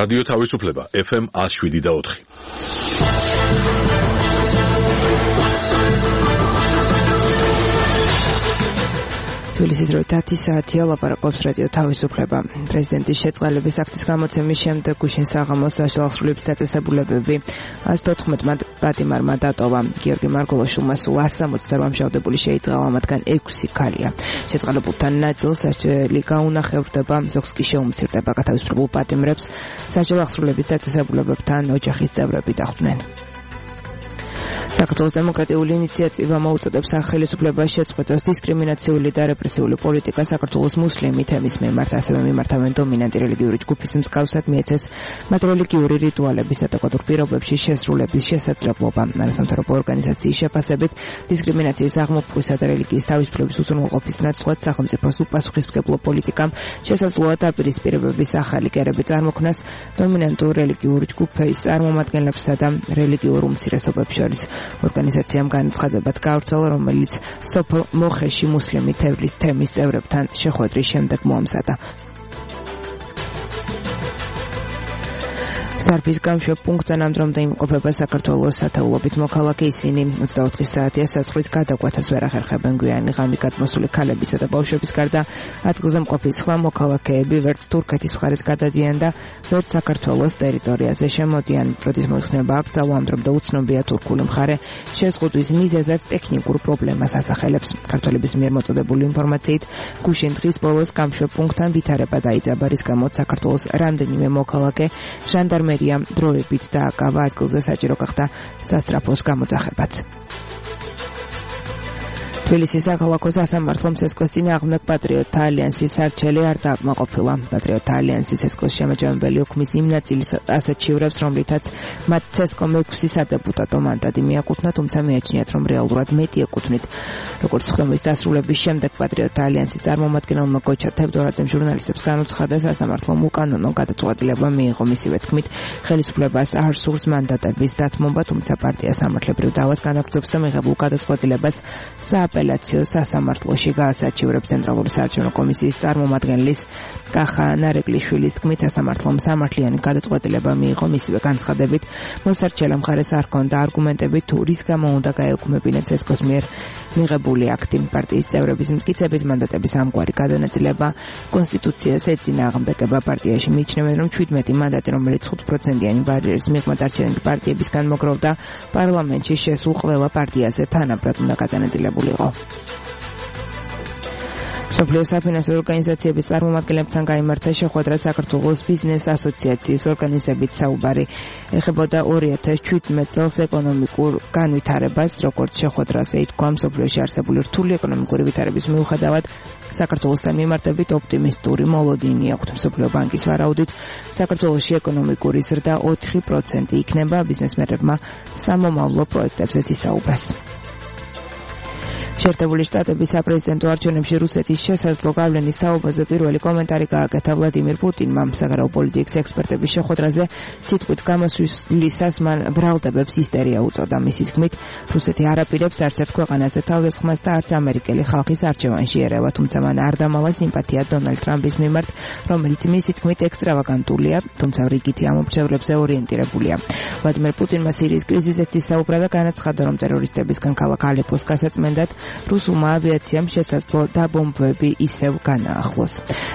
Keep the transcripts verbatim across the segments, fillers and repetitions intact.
რადიო თავისუფლება ეფ ემ ათს შვიდი და ოთხი. თბილისის დრო ათი საათია, ლაპარაკობს რადიო თავისუფლება. პრეზიდენტის შეწყალების აქტის გამოცემის შემდეგ გუშინ საღამოს საშუალო დაწესებულებები ას თოთხმეტ პატიმარმა დატოვა. გიორგი მარგულაშვილმა სულ ას ოცდაოთხ დამშავდებული შეიწყალა, მათგან ექვსი ქალია. შეწყალებულთან ნაწილს სასჯელი გაუნახევრდება, ზოგს კი შეუმცირდება. გათავისუფლებულ პატიმრებს საშუალო დაწესებულებებთან ოჯახის წევრები დახვდნენ. საქართველოს დემოკრატიული ინიციატივა მოუწოდებს სახელისუფლებას შეწყვეტოს დისკრიმინაციული და რეპრესიული პოლიტიკა საქართველოს მუსლიმი თემის მიმართ, ასევე მიმართავენ დომინანტი რელიგიური ჯგუფის მსგავსად მიეცეს მათ რელიგიური რიტუალებისა და კოდურ პირობებში შესრულების შესაძლებლობა. არასამთავრობო ორგანიზაციის შეფასებით, დისკრიმინაციის აღმოფხვისა და რელიგიის თავისუფლების უზრუნველყოფის ნაცვლად სახელმწიფოს უპასუხისმგებლო პოლიტიკამ შესაძლოა დაპირისპირებების ახალი კერები წარმოქმნას დომინანტურ რელიგიურ ჯგუფის წარმომადგენლებსა და რელიგიურ უმცირესობებს შორის. ორგანიზაციამ განაცხადებაც გავრცელა, რომელიც სოფელ მოხეში მუსლიმი თევლის თემის წევრებთან შეხვედრის შემდეგ მოამზადა. სარფის გამშვებ პუნქტთან ამ დრომდე იმყოფება საქართველოს სათაულობით მოქალაქე. ისინი ოცდაოთხ საათია საზღვრის გადაკვეთას ვერ ახერხებენ. გვიანი ღამით გადმოსული ქალებისა და ბავშვების გარდა ადგილზე მყოფი სხვა მოქალაქეები ვერც თურქეთის მხარეს გადადიან და ვერც საქართველოს ტერიტორიაზე შემოდიან. პროტის მოიხსნება აკრძალვა, ამ დრომდე უცნობია თურქული მხარე შეზღუდვის მიზეზად ტექნიკურ პრობლემას ასახელებს. ქართველების მიერ მოწოდებული ინფორმაციით, გუშინ დღის ბოლოს გამშვებ პუნქტთან ვითარება დაიწყება, რის გამოც საქართველოს რამდენიმე მოქალაქე ჟანდარმერია დროებით დააკავა, ადგილზე საჭირო გახდა სასტრაფოს გამოძახებაც. თბილისის საქალაქო სასამართლომ ცესკოს წინააღმდეგ პატრიოტთა ალიანსის არჩელი არ დააკმაყოფილა. პატრიოტთა ალიანსის ცესკოს შემაჯამებელი ოქმის იმ ნაწილის ასეთ შივრებს, რომლითაც მათ ცესკომ ექვსი სადეპუტატო მანდატი მიაკუთვნა, თუმცა მიაჩნიათ, რომ რეალურად მეტი ეკუთვნით. როგორც ხდომის დასრულების შემდეგ პატრიოტთა ალიანსის წარმომადგენელმა გოჩა თევდორაძემ ჟურნალისტებს განუცხადა, სასამართლომ უკანონო გადაწყვეტილება მიიღო. მისივე თქმით, ხელისუფლებას არ სურს მანდატების დათმობა, თუმცა პარტია სამართლებრივ დავას განაგრძობს და მიღებულ გადაწყვეტილებას სააპელაციო სასამართლოში გაასაჩივრებს. ცენტრალური საარჩევნო კომისიის წარმომადგენლის კახა ნარეკლიშვილის თქმით, სასამართლომ სამართლიანი გადაწყვეტილება მიიღო. მისივე განცხადებით, მოსარჩელა მხარეს არ ჰქონდა არგუმენტები, თუ რის გამო უნდა გაეუქმებინა ცესკოს მიერ მიღებული აქტი. პარტიის წევრების მტკიცებით, მანდატების ამგვარი გადანაწილება კონსტიტუციას ეწინააღმდეგება. პარტიაში მიიჩნევენ, რომ შვიდმეტი მანდატი, რომელიც ხუთ პროცენტიანი ბარიერის მიღმა დარჩენილი პარტიებისგან მოგროვდა, პარლამენტში შესულ ყველა პარტიაზე თანაბრად უნდა გადანაწილებულიყო. მსოფლიო საფინანსო ორგანიზაციების წარმომადგენლებთან გაიმართა შეხვედრა საქართველოს ბიზნეს ასოციაციის ორგანიზებით საუბარი. ეხებოდა ორი ათას შვიდმეტ წელს ეკონომიკურ განვითარებას, როგორც შეხვედრაზე ითქვა, მსოფლიოში არსებული რთული ეკონომიკური ვითარების მიუხედავად საქართველოსთან მიმართებით ოპტიმისტური მოლოდინი აქვთ. მსოფლიო ბანკის ვარაუდით, საქართველოში ეკონომიკური ზრდა ოთხი პროცენტი იქნება. ბიზნესმენებმა სამომავლო პროექტებზეც ისაუბრეს. შეერთებული შტატების საპრეზიდენტო არჩევნებში რუსეთის შესაძლო გავლენის თაობაზე პირველი კომენტარი გააკეთა ვლადიმირ პუტინმა. საგარეო პოლიტიკის ექსპერტების შეხვედრაზე სიტყვით გამოსვლისას მან ბრალდებებს ისტერია უწოდა. მისი თქმით, რუსეთი არ აპირებს არც ერთ ქვეყანაზე თავდასხმას და არც ამერიკელი ხალხის არჩევანში ერევა, თუმცა მან არ დამალა სიმპათია დონალდ ტრამპის მიმართ, რომელიც მისი თქმით ექსტრავაგანტულია, თუმცა რიგითი ამომრჩევლებზე ორიენტირებულია. ვლადიმირ პუტინმა სირიის კრიზისზეც ისაუბრა და განაცხადა, რომ ტერორისტებისგან ქალაქ ალეპოს გასაწმენდად რუსულმა ავიაციამ შესაძლო დაბომბვები ისევ განაახლოს.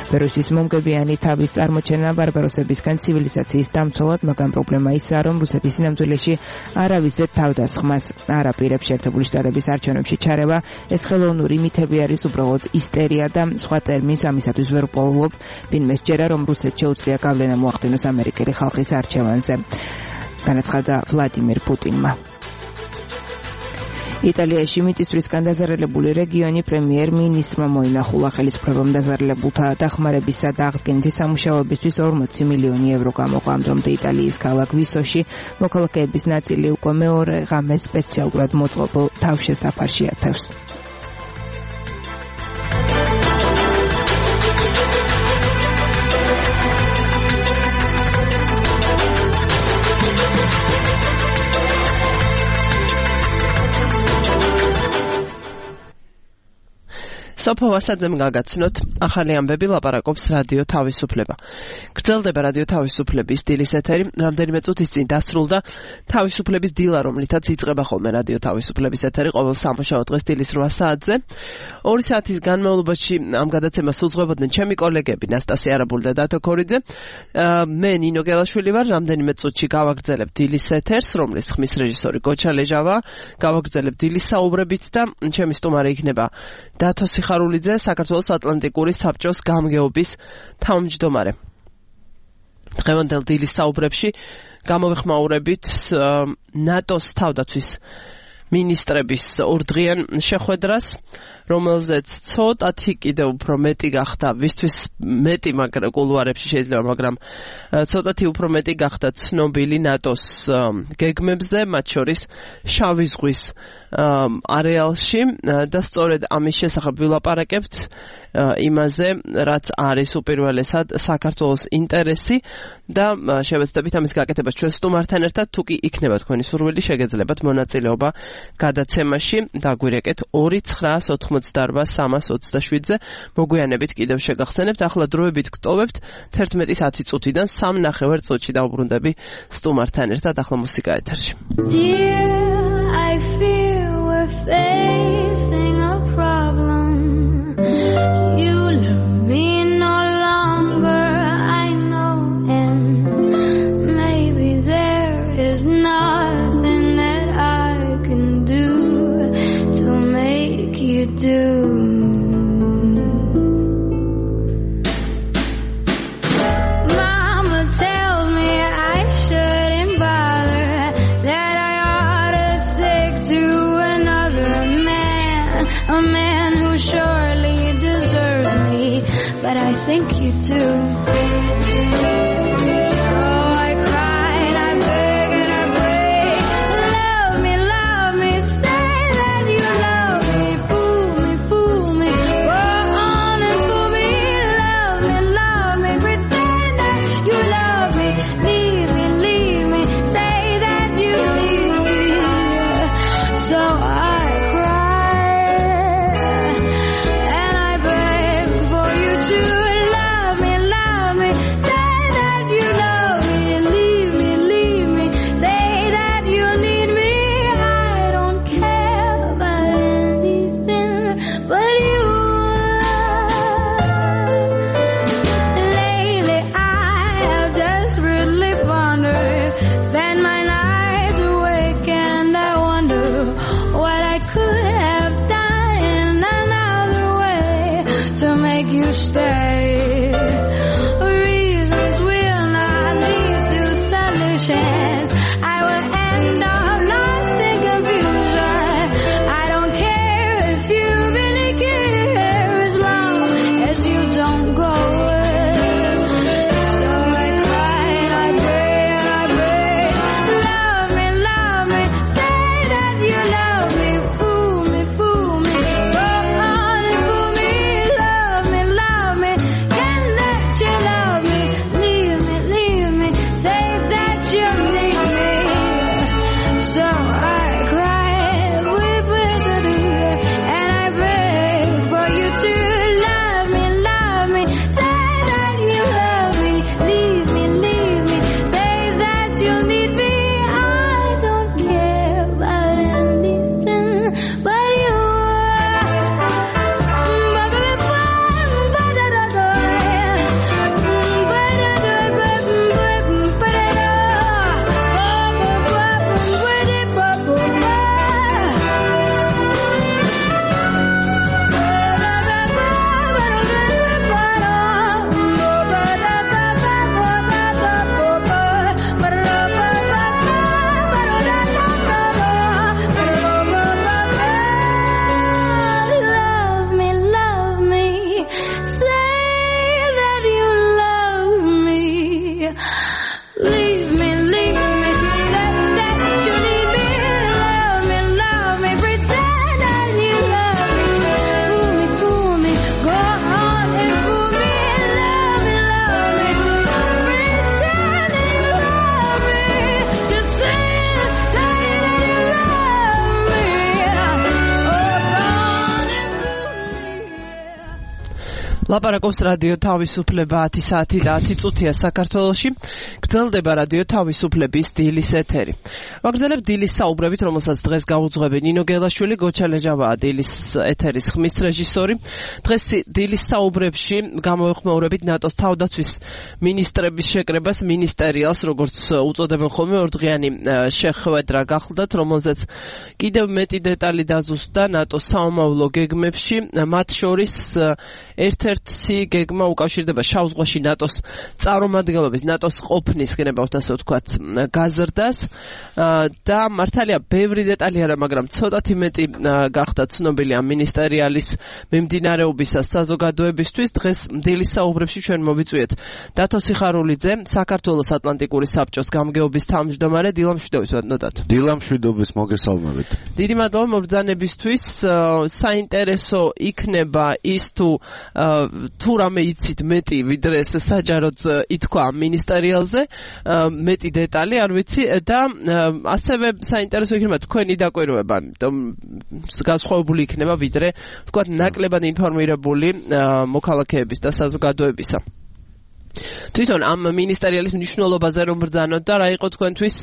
ბერუსის მომგებიანი თავის წარმოჩენა ბარბაროსებისგან ცივილიზაციის დამცველად, მაგრამ პრობლემა ისაა, რომ რუსეთის სინამდვილეში არავისზე თავდასხმას არ აპირებს. შეერთებული შტატების არჩევნებში ჩარევა ეს ხელოვნური მითები არის, უბრალოდ ისტერია და სხვა ტერმინს ამისათვის ვერ ვპოულობ. ვინმე სჯერა, რომ რუსეთს შეუძლია გავლენა მოახდინოს ამერიკელი ხალხის არჩევანზე, განაცხადა ვლადიმირ პუტინმა. იტალიაში მიწისძვრისგან დაზარალებული რეგიონი პრემიერ-მინისტრმა მოინახულა. ხელისუფლებამ დაზარალებულთა დახმარებისა და აღდგენითი სამუშაოებისთვის ორმოცი მილიონი ევრო გამოყო. ამ დრომდე იტალიის ქალაქ ვისოში მოქალაქეების ნაწილი უკვე მეორე ღამეს სპეციალურად მოწყობილ თავშესაფარში ათევს. სოფო ვასაძემ გაგაცნოთ ახალი ამბები ლაპარაკობს რადიო თავისუფლება. გრძელდება რადიო თავისუფლების დილის ეთერი, რამდენიმე წუთის წინ დასრულდა თავისუფლების დილა, რომლითაც იწყება ხოლმე რადიო თავისუფლების ეთერი ყოველ სამუშაო დღეს დილის რვა საათზე. ორი საათის განმავლობაში ამ გადაცემას უძღვებოდნენ ჩემი კოლეგები ნასტასია არაბული და დათო ქორიძე. მე ნინო გელაშვილი ვარ, რამდენიმე წუთში გავაგრძელებ დილის ეთერს, რომლის ხმის რეჟისორი გოჩა ლეჟავა, გავაგრძელებ დილის საუბრებით და ჩემი სტუმარი იქნება დათო სიხარულიძე, საქართველოს ატლანტიკური საბჭოს გამგეობის თავმჯდომარე. დღევანდელ დილის საუბრებში გამოვიხმაურებით ნატოს თავდაცვის მინისტრების ორდღიან შეხვედრას, რომელზეც ცოტათი კიდევ უფრო მეტი გახდა, ვისთვის მეტი მაგრამ კულუარებში შეიძლება, მაგრამ ცოტათი უფრო მეტი გახდა ცნობილი ნატოს გეგმებზე, მათ შორის შავი ზღვის არეალში და სწორედ ამის შესახებ ვილაპარაკებთ იმაზე, რაც არის უპირველესად საქართველოს ინტერესი და შევეცდებით ამის გაკეთებას ჩვენ სტუმართან ერთად, თუ კი იქნება თქვენი სურვილი, შეგეძლებათ მონაწილეობა გადაცემაში, დაგვირეკეთ ორი ცხრაას ოთხმოცდაარბა სამას ოცდაშვიდზე, მოგვიანებით კიდევ შეგახსენებთ, ახლა დროებით გტოვებთ თერთმეტის ათი წუთიდან სამ ნახევარ წუთში დავუბრუნდები სტუმართან ერთად, ახლა მუსიკა ეთერში. Dear, I fear we're facing a problem. You love me no longer, I know, and maybe there is nothing that I can do to make you do. Mama tells me I shouldn't bother, that I ought to stick to another man, a man who surely deserves me, but I think you do. So I cry and I beg and I pray, love me, love me, say that you love me, fool me, fool me, go on and fool me, love me, love me, pretend that you love me, leave me, leave me, say that you need me. So I cry and I beg for you to love me, love me, say that you love me, leave me, leave me, say that you need me. I don't care about anything but you. Lately I have desperately pondered, spend my nights awake and I wonder what I could have done in another way to make you stay. Reasons will not lead to solutions. I will end up lost in confusion. I don't care if you really care, as long as you don't go. So I cry and I pray and I beg, love me, love me, say that you love me, fool me, fool me, go on and fool me, love me, love me, ლაპარაკობს რადიო თავისუფლება ათი საათი და ათი წუთია საქართველოში. გრძელდება რადიო თავისუფლების დილის ეთერი. ვაგრძელებ დილის საუბრებით, რომელსაც დღეს გაუძღვები ნინო გელაშვილი, გოჩა ლეჟავაა დილის ეთერის ხმის რეჟისორი. დღეს დილის საუბრებში გამოვიხმაურებით ნატოს თავდაცვის მინისტრების შეკრებას, მინისტერიალს, როგორც უწოდებენ ხოლმე, ორდღიანი შეხვედრა გახლდათ, რომელზეც კიდევ მეტი დეტალი დაზუსტდა ნატოს საომავლო გეგმებში, მათ შორის ერთ-ერთი გეგმა უკავშირდება შავ ზღვაში ნატოს წარმომადგენლობის, ნატოს ყოფნის გენებავთ ასე ვთქვათ, გაზრდას და მართალია ბევრი დეტალი არა, მაგრამ ცოტათი მეტი გახდა ცნობილი ამ მინისტერიალის მიმდინარეობისას საზოგადოებისთვის. დღეს დილის საუბრებში ჩვენ მოვიწვიეთ დათო სიხარულიძე, საქართველოს ატლანტიკური საბჭოს გამგეობის თავმჯდომარე. დილამშვიდობის ბატონო. დილამშვიდობის, მოგესალმებით. დიდი მადლობა მობრძანებისთვის. საინტერესო იქნება ის თუ თუ რამე იცით მეტი ვიდრე ეს საჯაროდ ითქვა ამ მინისტერიალზე, მეტი დეტალი არ ვიცი და ასევე საინტერესო იქნება თქვენი დაკვირვება, იმიტომ განსხვავებული იქნება ვიდრე ვთქვათ ნაკლებად ინფორმირებული მოქალაქეების და საზოგადოებისა. თვითონ ამ მინისტერიალის მნიშვნელობაზე რომ ბრძანოთ და რა იყო თქვენთვის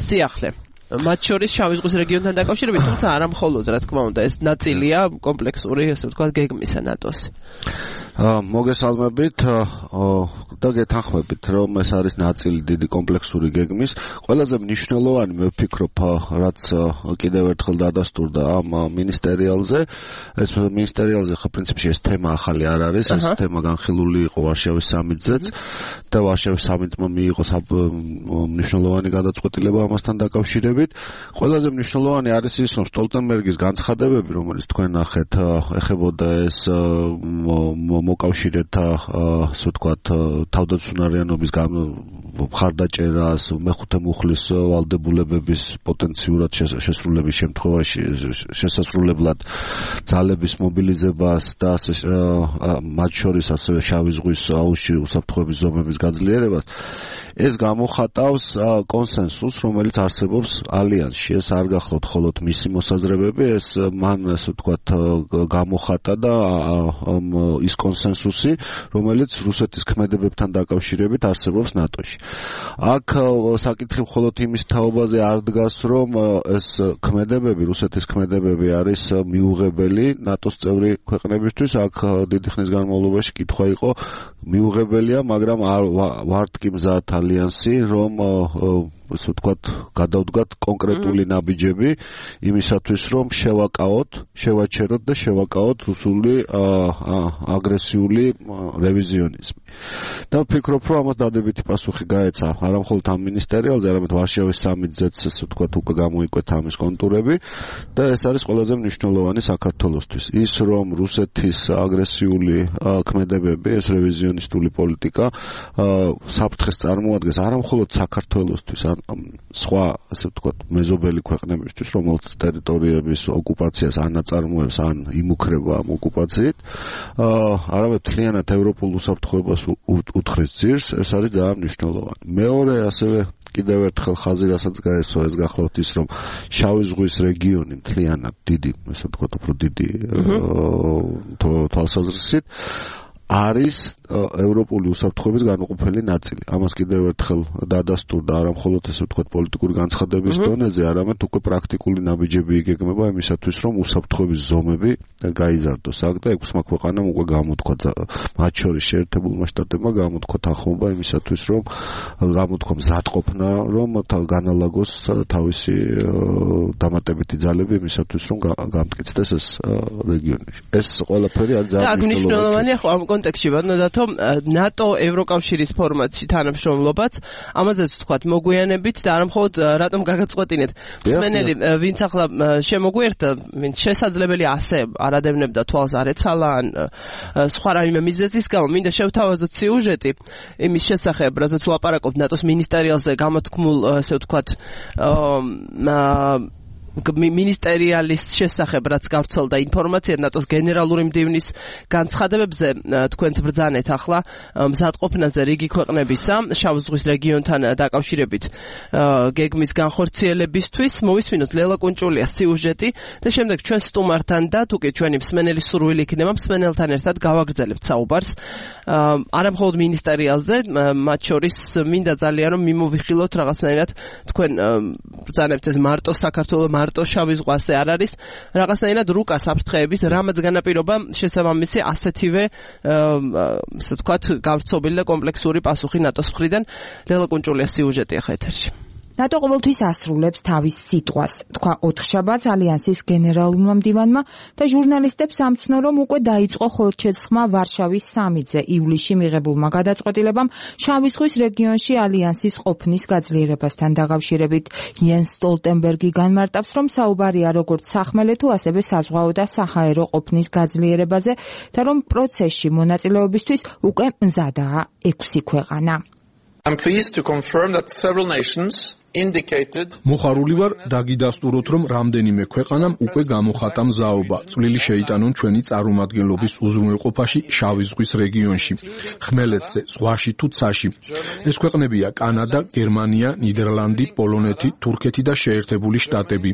სიახლე? მათ შორის შავი ზღვის რეგიონთან დაკავშირებით, თუმცა არა მხოლოდ, რა თქმა უნდა, ეს ნაწილია კომპლექსური, ასე ვთქვათ, გეგმისა ნატოს. მოგესალმებით და გეთანხმებით, რომ ეს არის ნაწილი დიდი კომპლექსური გეგმის. ყველაზე მნიშვნელოვანი მე ვფიქრობ, რაც კიდევ ერთხელ დადასტურდა ამ მინისტერიალზე, ეს მინისტერიალზე ხო პრინციპში ეს თემა ახალი არ არის, ეს თემა განხილული იყო ვარშავის სამიტზეც და ვარშავის სამიტმა მიიღო მნიშვნელოვანი გადაწყვეტილება ამასთან დაკავშირებით. ყველაზე მნიშვნელოვანი არის ის, რომ სტოლტენბერგის განცხადებები, რომელიც თქვენ ნახეთ, ეხებოდა ეს მოკავშირეთა, ასე ვთქვათ, თავდაცვიანობის მხარდაჭერას, მეხუთე მუხლის ვალდებულებების პოტენციურად შესრულების შემთხვევაში შესასრულებლად ძალების მობილიზებას და მათ შორის ასევე შავი ზღვის აუზში უსაფრთხოების ზომების გაძლიერებას. ეს გამოხატავს კონსენსუსს, რომელიც არსებობს ალიანსში. ეს არ გახლავთ მხოლოდ მისი მოსაზრებები, ეს მან, ასე ვთქვათ, გამოხატა და ის კონსენსუსი, რომელიც რუსეთის ქმედებებთან დაკავშირებით არსებობს ნატოში. აქ საკითხი მხოლოდ იმის თაობაზე არ დგას, რომ ეს ქმედებები, რუსეთის ქმედებები არის მიუღებელი ნატოს წევრი ქვეყნებისთვის. აქ დიდი ხნის განმავლობაში კითხვა იყო, მიუღებელია, მაგრამ ვართ კი მზად ალიანსი, რომ ასე ვთქვათ, გადავდგათ კონკრეტული ნაბიჯები იმისათვის, რომ შევაკავოთ, შევაჩეროთ და შევაკავოთ რუსული აგრესიული რევიზიონიზმი. და ვფიქრობ, რომ ამას დადებითი პასუხი გაეცა არა მხოლოდ ამ მინისტერიალზე, არამედ ვარშავის სამიტზეც, ასე ვთქვათ, უკვე გამოიკვეთა ამის კონტურები და ეს არის ყველაზე მნიშვნელოვანი საქართველოსთვის. ის, რომ რუსეთის აგრესიული ქმედებები, ეს რევიზიონისტული პოლიტიკა საფრთხეს წარმოადგენს არა მხოლოდ საქართველოსთვის, სხვა, ასე ვთქვათ, მეზობელი ქვეყნებისთვის, რომელთა ტერიტორიების ოკუპაციას არ ნაწარმოებს, ან იმუქრება ამ ოკუპაციით, არამედ მთლიანად ევროპულ უსაფრთხოებას უთხრის ძირს, ეს არის ძალიან მნიშვნელოვანი. მეორე, ასევე კიდევ ერთხელ ხაზი რასაც გაესვა, ეს გახლავთ ის, რომ შავი ზღვის რეგიონი მთლიანად დიდი, ასე ვთქვათ, უფრო დიდი თვალსაზრისით არის ევროპული უსაფრთხოების განუყოფელი ნაწილი. ამას კიდევ ერთხელ დადასტურდა არა მხოლოდ ესე ვთქვათ პოლიტიკური განცხადების დონეზე, არამედ უკვე პრაქტიკული ნაბიჯები იგეგმება იმისათვის, რომ უსაფრთხოების ზომები გაიზარდოს. აქ და ექვსმა ქვეყანამ უკვე გამოთქვა, მათ შორის შეერთებულმა შტატებმა გამოთქვა თანხმობა იმისათვის, რომ გამოთქვა მზადყოფნა, რომ განალაგოს თავისი დამატებითი ძალები იმისათვის, რომ გამტკიცდეს ეს რეგიონი. ეს ყველაფერი არის ძალიან მნიშვნელოვანი. ამ კონტექსტში ბატონო, ნატო ევროკავშირის ფორმატში თანამშრომლობაც, ამაზეც ვთქვათ, მოგვიანებით და არა მხოლოდ რატომ გაგაწყვეტინეთ. მსმენელი, ვინც ახლა შემოგვიერთდა, ვინც შესაძლებელი ასე არადევნებდა თვალს არ ეცალა, ან სხვა რაიმე მიზეზის გამო, მინდა შევთავაზოთ სიუჟეტი იმის შესახებ, რასაც ვლაპარაკობთ ნატოს მინისტერიალზე გამოთქმულ, ასე ვთქვათ, მინისტერიალის შესახებ რაც გავრცელდა ინფორმაცია ნატოს გენერალური მდივნის განცხადებებზე თქვენც ბრძანეთ ახლა მზადყოფნაზე რიგი ქვეყნებისა შავ ზღვის რეგიონთან დაკავშირებით გეგმის განხორციელებისთვის მოვისმინოთ ლელა კუნჭულიას სიუჟეტი და შემდეგ ჩვენ სტუმართან და თუკი ჩვენი მსმენელი სურვილი იქნება მსმენელთან ერთად გავაგრძელებთ საუბარს არა მხოლოდ მინისტერიალზე მათ შორის მინდა ძალიან რომ მიმოვიხილოთ რაღაცნაირად თქვენ ბრძანებთ ეს მარტო საქართველოს მარტო შავი ზღვაზე არ არის რაღაცნაირად რუკა საფრთხეების რამაც განაპირობა შესაბამისი ასეთივე ასე ვთქვათ გავრცობილი და კომპლექსური პასუხი ნატოს მხრიდან ლელა კუნჭულიას სიუჟეტი ახლა ეთერში ნატო ყოველთვის ასრულებს თავის სიტყვას, თქვა ოთხშაბათს ალიანსის გენერალურმა მდივანმა და ჟურნალისტებს ამცნო, რომ უკვე დაიწყო ხორჩეცხმა ვარშავის სამიტზე ივლისში მიღებულმა გადაწყვეტილებამ შავი ზღვის რეგიონში ალიანსის ყოფნის გაძლიერებასთან დაკავშირებით. იენს სტოლტენბერგი განმარტავს, რომ საუბარია როგორც სახმელეთო, ასევე საზღვაო და საჰაერო ყოფნის გაძლიერებაზე და რომ პროცესში მონაწილეობისთვის უკვე მზადაა ექვსი ქვეყანა. I'm pleased to confirm that several nations indicated მოხარული ვარ დაგიდასტუროთ რომ რამდენიმე ქვეყანამ უკვე გამოხატა მზაობა წვლილი შეიტანონ ჩვენი წარმომადგენლობის უზრუნველყოფაში შავი ზღვის რეგიონში ხმელეთზე ზღვაში თუ ცაში ეს ქვეყნებია კანადა გერმანია ნიდერლანდი პოლონეთი თურქეთი და შეერთებული შტატები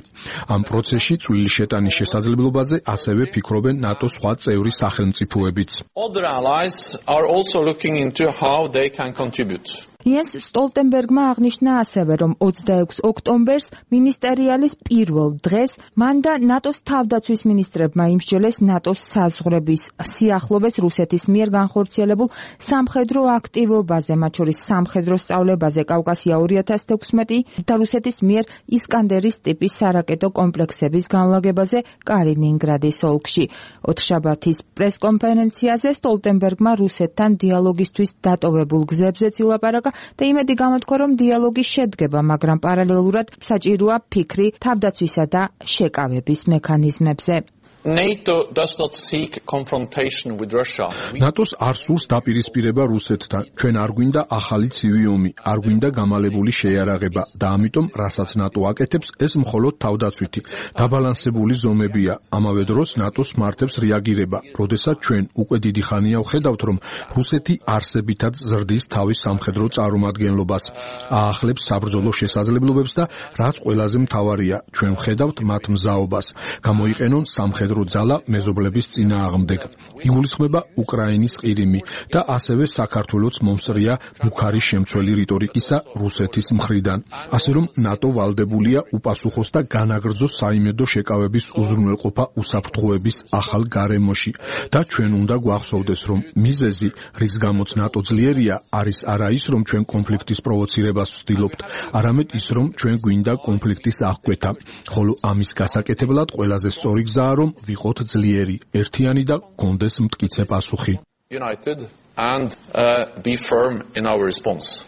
ამ პროცესში წვლილი შეტანის შესაძლებლობაზე ასევე ფიქრობენ ნატოს სხვა წევრი სახელმწიფოებიც Other allies are also looking into how they can contribute იენს სტოლტენბერგმა აღნიშნა ასევე, რომ ოცდაექვსი ოქტომბერს მინისტერიალის პირველ დღეს მან და ნატოს თავდაცვის მინისტრებმა იმსჯელეს ნატოს საზღვრების სიახლოვეს რუსეთის მიერ განხორციელებულ სამხედრო აქტივობაზე, მათ შორის სამხედრო სწავლებაზე კავკასია ორი ათას თექვსმეტი და რუსეთის მიერ ისკანდერის ტიპის სარაკეტო კომპლექსების განლაგებაზე კალინინგრადის ოლქში. ოთხშაბათის პრესკონფერენციაზე სტოლტენბერგმა რუსეთთან დიალოგისთვის დატოვებულ გზებზეც ილაპარაკა და იმედი გამოთქვა, რომ დიალოგი შედგება, მაგრამ პარალელურად საჭიროა ფიქრი თავდაცვისა და შეკავების მექანიზმებზე. NATO does not seek confrontation with Russia. ნატოს არ სურს დაპირისპირება რუსეთთან. ჩვენ არ გვინდა ახალი ცივი ომი, არ გვინდა გამალებული შეიარაღება და ამიტომ, რასაც ნატო აკეთებს, ეს მხოლოდ თავდაცვითი, დაბალანსებული ზომებია. ამავე დროს ნატოს მართებს რეაგირება, როდესაც ჩვენ უკვე დიდი ხანია ვხედავთ, რომ რუსეთი არსებითად ზრდის თავის სამხედრო წარმომადგენლობას, აახლებს საბრძოლო შესაძლებლობებს და რაც ყველაზე მთავარია, ჩვენ ვხედავთ მათ მზაობას, გამოიყენონ სამხედრო ძალა მეზობლების წინააღმდეგ. იგულისხმება უკრაინის ყირიმი და ასევე საქართველოს მომსწრია მუქარი შემცველი რიტორიკისა რუსეთის მხრიდან. ასე რომ ნატო ვალდებულია უპასუხოს და განაგრძოს საიმედო შეკავების უზრუნველყოფა უსაფრთხოების ახალ გარემოში და ჩვენ უნდა გვახსოვდეს, რომ მიზეზი, რის გამოც ნატო ძლიერია, არის არა ის, რომ ჩვენ კონფლიქტის პროვოცირებას ვცდილობთ, არამედ ის, რომ ჩვენ გვინდა კონფლიქტის აღკვეთა, ხოლო ამის გასაკეთებლად ყველაზე სწორი გზაა, რომ ვიყოთ ძლიერი, ერთიანი და გქონდეს მტკიცე პასუხი. United and uh, be firm in our response.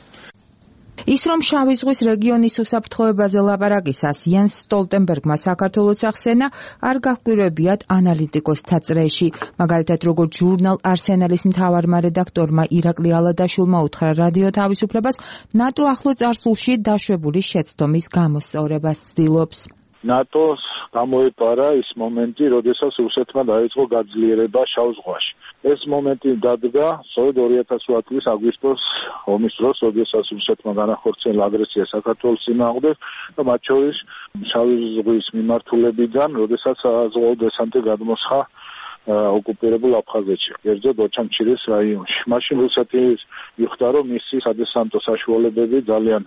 ის რომ შავი ზღვის რეგიონის უსაფრთხოებაზე ლაპარაკისას იენს სტოლტენბერგმა საქართველოს ახსენა, არ გაჰკვირვებიათ ანალიტიკოსთა წრეში. მაგალითად, როგორც ჟურნალ არსენალის მთავარმა რედაქტორმა ირაკლი ალადაშვილმა უთხრა რადიო თავისუფლებას, ნატო ახლო წარსულში დაშვებული შეცდომის გამოსწორებას ცდილობს. ნატოს გამოეპარა ის მომენტი, როდესაც რუსეთმა დაიწყო გაძლიერება შავ ზღვაში. ეს მომენტი დადგა სწორედ ორი ათას ოთხ წლის აგვისტოს ომის დროს, როდესაც რუსეთმა განახორციელა აგრესია საქართველოს წინააღმდეგ და მათ შორის შავი ზღვის მიმართულებიდან, როდესაც საზღვაო დესანტი გადმოსხა ოკუპირებულ აფხაზეთში, კერძოდ ოჩამჩირის რაიონში. მაშინ რუსეთი მიხვდა, რომ მისი სადესანტო საშუალებები ძალიან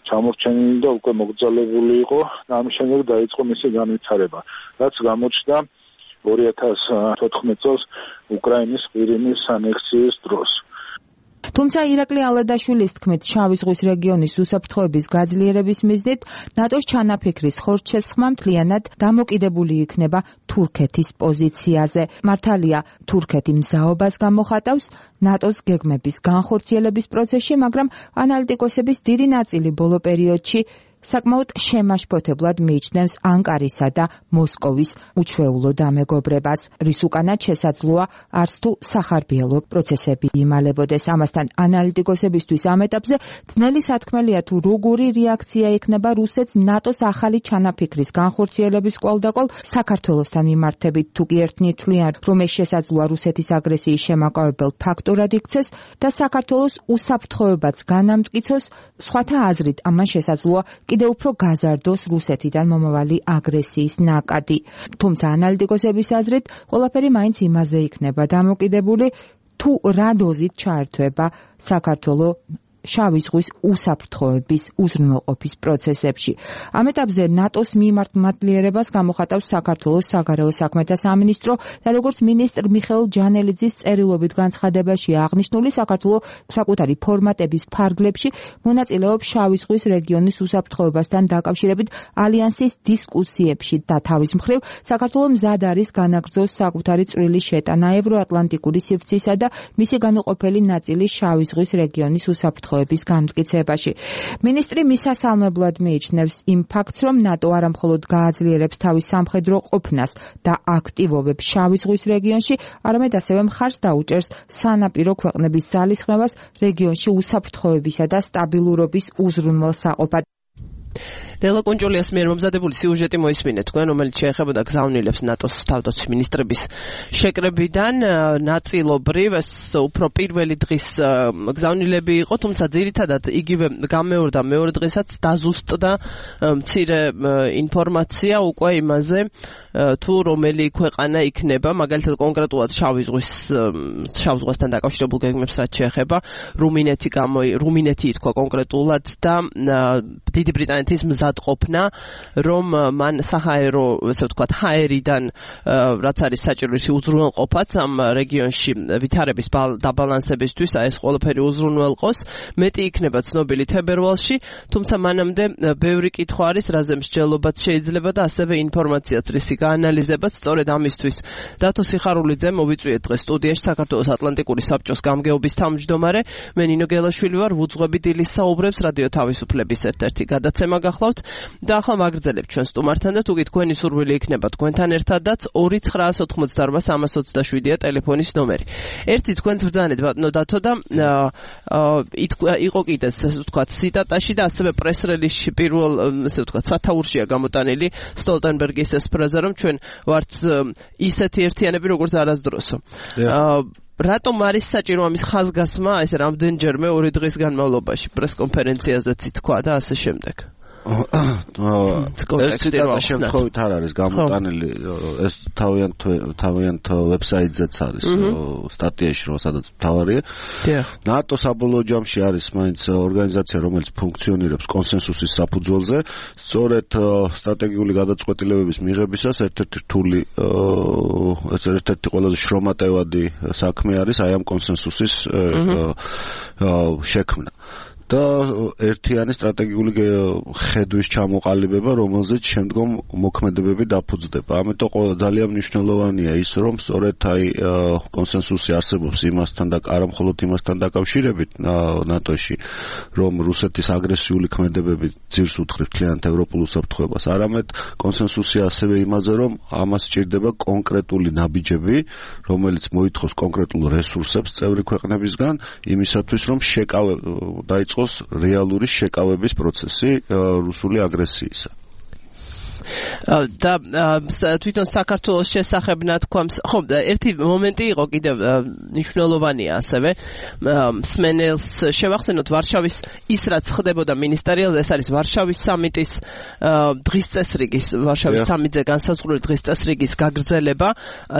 ჩამორჩენილი და უკვე მოგრძალებული იყო და ამის შემდეგ დაიწყო მისი განვითარება, რაც გამოჩნდა ორი ათას თოთხმეტ წელს უკრაინის ყირიმის ანექსიის დროს. თუმცა ირაკლი ალადაშვილის თქმით, შავი ზღვის რეგიონის უსაფრთხოების გაძლიერების მიზნით ნატოს ჩანაფიქრის ხორცშესხმა მთლიანად დამოკიდებული იქნება თურქეთის პოზიციაზე. მართალია, თურქეთი მზაობას გამოხატავს ნატოს გეგმების განხორციელების პროცესში, მაგრამ ანალიტიკოსების დიდი ნაწილი ბოლო პერიოდში საკმაოდ შემაშფოთებლად მიიჩნევს ანკარისა და მოსკოვის უჩვეულო დამეგობრებას, რის უკანად შესაძლოა არც თუ სახარბიელო პროცესები იმალებოდეს. ამასთან ანალიტიკოსებისთვის ამ ეტაპზე ძნელი სათქმელია თუ როგორი რეაქცია ექნება რუსეთს ნატოს ახალი ჩანაფიქრის განხორციელების კვალდაკვალ საქართველოსთან მიმართებით, თუ კი ერთნი თვლიან, რომ ეს შესაძლოა რუსეთის აგრესიის შემაკავებელ ფაქტორად იქცეს და საქართველოს უსაფრთხოებაც განამტკიცოს, სხვათა აზრით ამან შესაძლოა კიდევ უფრო გაზარდოს რუსეთიდან მომავალი აგრესიის ნაკადი. თუმცა ანალიტიკოსების აზრით ყველაფერი მაინც იმაზე იქნება დამოკიდებული, თუ რა დოზით ჩაერთვება საქართველო შავი ზღვის უსაფრთხოების უზრუნველყოფის პროცესებში. ამ ეტაპზე ნატოს მიმართ მადლიერებას გამოხატავს საქართველოს საგარეო საქმეთა სამინისტრო და როგორც მინისტრ მიხეილ ჯანელიძის წერილობით განცხადებაში აღნიშნული, საქართველო საკუთარი ფორმატების ფარგლებში მონაწილეობს შავი ზღვის რეგიონის უსაფრთხოებასთან დაკავშირებით ალიანსის დისკუსიებში და თავის მხრივ საქართველო მზად არის განაგრძოს საკუთარი წვრილი შეტანა ევროატლანტიკური სივრცისა და მისი განუყოფელი ნაწილის შავი ზღვის რეგიონის უსაფრთხოებასთან გამტკიცებაში. მინისტრი მისასალმებლად მიიჩნევს იმ ფაქტს, რომ ნატო არა მხოლოდ გააძლიერებს თავის სამხედრო ყოფნას და აქტივობებს შავი ზღვის რეგიონში, არამედ ასევე მხარს დაუჭერს სანაპირო ქვეყნების ძალისხმევას რეგიონში უსაფრთხოებისა და სტაბილურობის უზრუნველსაყოფად. ნელა კონჭოლიას მიერ მომზადებული სიუჟეტი მოისმინეთ თქვენ, რომელიც შეეხებოდა გზავნილებს ნატოს თავდაცვის მინისტრების შეკრებიდან. ნაწილობრივ ეს უფრო პირველი დღის გზავნილები იყო, თუმცა ძირითადად იგივე გამეორდა მეორე დღესაც დაზუსტდა მცირე ინფორმაცია უკვე იმაზე, თუ რომელი ქვეყანა იქნება, მაგალითად კონკრეტულად შავი ზღვის შავ ზღვასთან დაკავშირებულ გეგმებს რაც შეეხება, რუმინეთი გამო რუმინეთი ითქვა კონკრეტულად და დიდი ბრიტანეთის მზადყოფნა, რომ მან საჰაერო, ესე ვთქვათ, ჰაერიდან რაც არის საჭიროისი უზრუნველყოფაც ამ რეგიონში ვითარების დაბალანსებისთვის, აი ეს ყველაფერი უზრუნველყოს, მეტი იქნება ცნობილი თებერვალში, თუმცა მანამდე ბევრი კითხვა არის, რაზე მსჯელობაც შეიძლება და ასევე ინფორმაციაც რისი გაანალიზებაც. სწორედ ამისთვის დათო სიხარულიძე მოვიწვიეთ დღეს სტუდიაში საქართველოს ატლანტიკური საბჭოს გამგეობის თავმჯდომარე. მე ნინო გელაშვილი ვარ, ვუძღვები დილის საუბრებს რადიო თავისუფლების ერთ-ერთი გადაცემა გახლავთ და ახლა ვაგრძელებთ ჩვენ სტუმართან და თუ კი თქვენი სურვილი იქნება თქვენთან ერთადაც ორი ცხრაას ოთხმოცდაარბა სამას ოცდაშვიდია ტელეფონის ნომერი. ერთი თქვენს ბრძანეთ ბატონო დათო და იყო კიდეც ესე ვთქვათ ციტატაში და ასევე პრეს-რელიზში პირველ ესე ვთქვათ სათაურშია გამოტანილი სტოლტენბერგის ეს ფრაზა, რომ ჩვენ ვართ ისეთი ერთიანები როგორც არასდროსო. რატომ არის საჭირო ამის ხაზგასმა ეს რამდენჯერმე ორი დღის განმავლობაში პრეს-კონფერენციაზეც ითქვა და ასე შემდეგ? ეს ციტატა შემთხვევით არ არის გამოტანილი, ეს თავიანთ თავიანთ ვებსაიტზეც არის სტატიაში, რომ სადაც მთავარია. ნატო საბოლოო ჯამში არის მაინც ორგანიზაცია, რომელიც ფუნქციონირებს კონსენსუსის საფუძველზე. სწორედ სტრატეგიული გადაწყვეტილებების მიღებისას ერთ-ერთი რთული, ეს ერთ-ერთი ყველაზე შრომატევადი საქმე არის აი ამ კონსენსუსის შექმნა. და ერთიანი სტრატეგიული ხედვის ჩამოყალიბება, რომელზეც შემდგომ მოქმედებები დაფუძდება. ამიტომ ძალიან მნიშვნელოვანია ის, რომ სწორედ აი კონსენსუსი არსებობს იმასთან და არა მხოლოდ იმასთან დაკავშირებით ნატოში, რომ რუსეთის აგრესიული ქმედებები ძირს უთხრით მთლიანად ევროპულ უსაფრთხოებას, არამედ კონსენსუსი ასევე იმაზე, რომ ამას სჭირდება კონკრეტული ნაბიჯები, რომელიც მოითხოვს კონკრეტულ რესურსებს წევრი ქვეყნებისგან, იმისათვის, რომ შეკავება დაიწყოს რეალური შეკავების პროცესი რუსული აგრესიისა. და თვითონ საქართველოს შესახებ ნათქვამს, ხო, ერთი მომენტი იყო კიდევ მნიშვნელოვანია ასევე მსმენელს შევახსენოთ ვარშავის ის რაც ხდებოდა მინისტერიალზე, ეს არის ვარშავის სამიტის დღის წესრიგის, ვარშავის სამიტზე განსაზღვრული დღის წესრიგის გაგრძელება.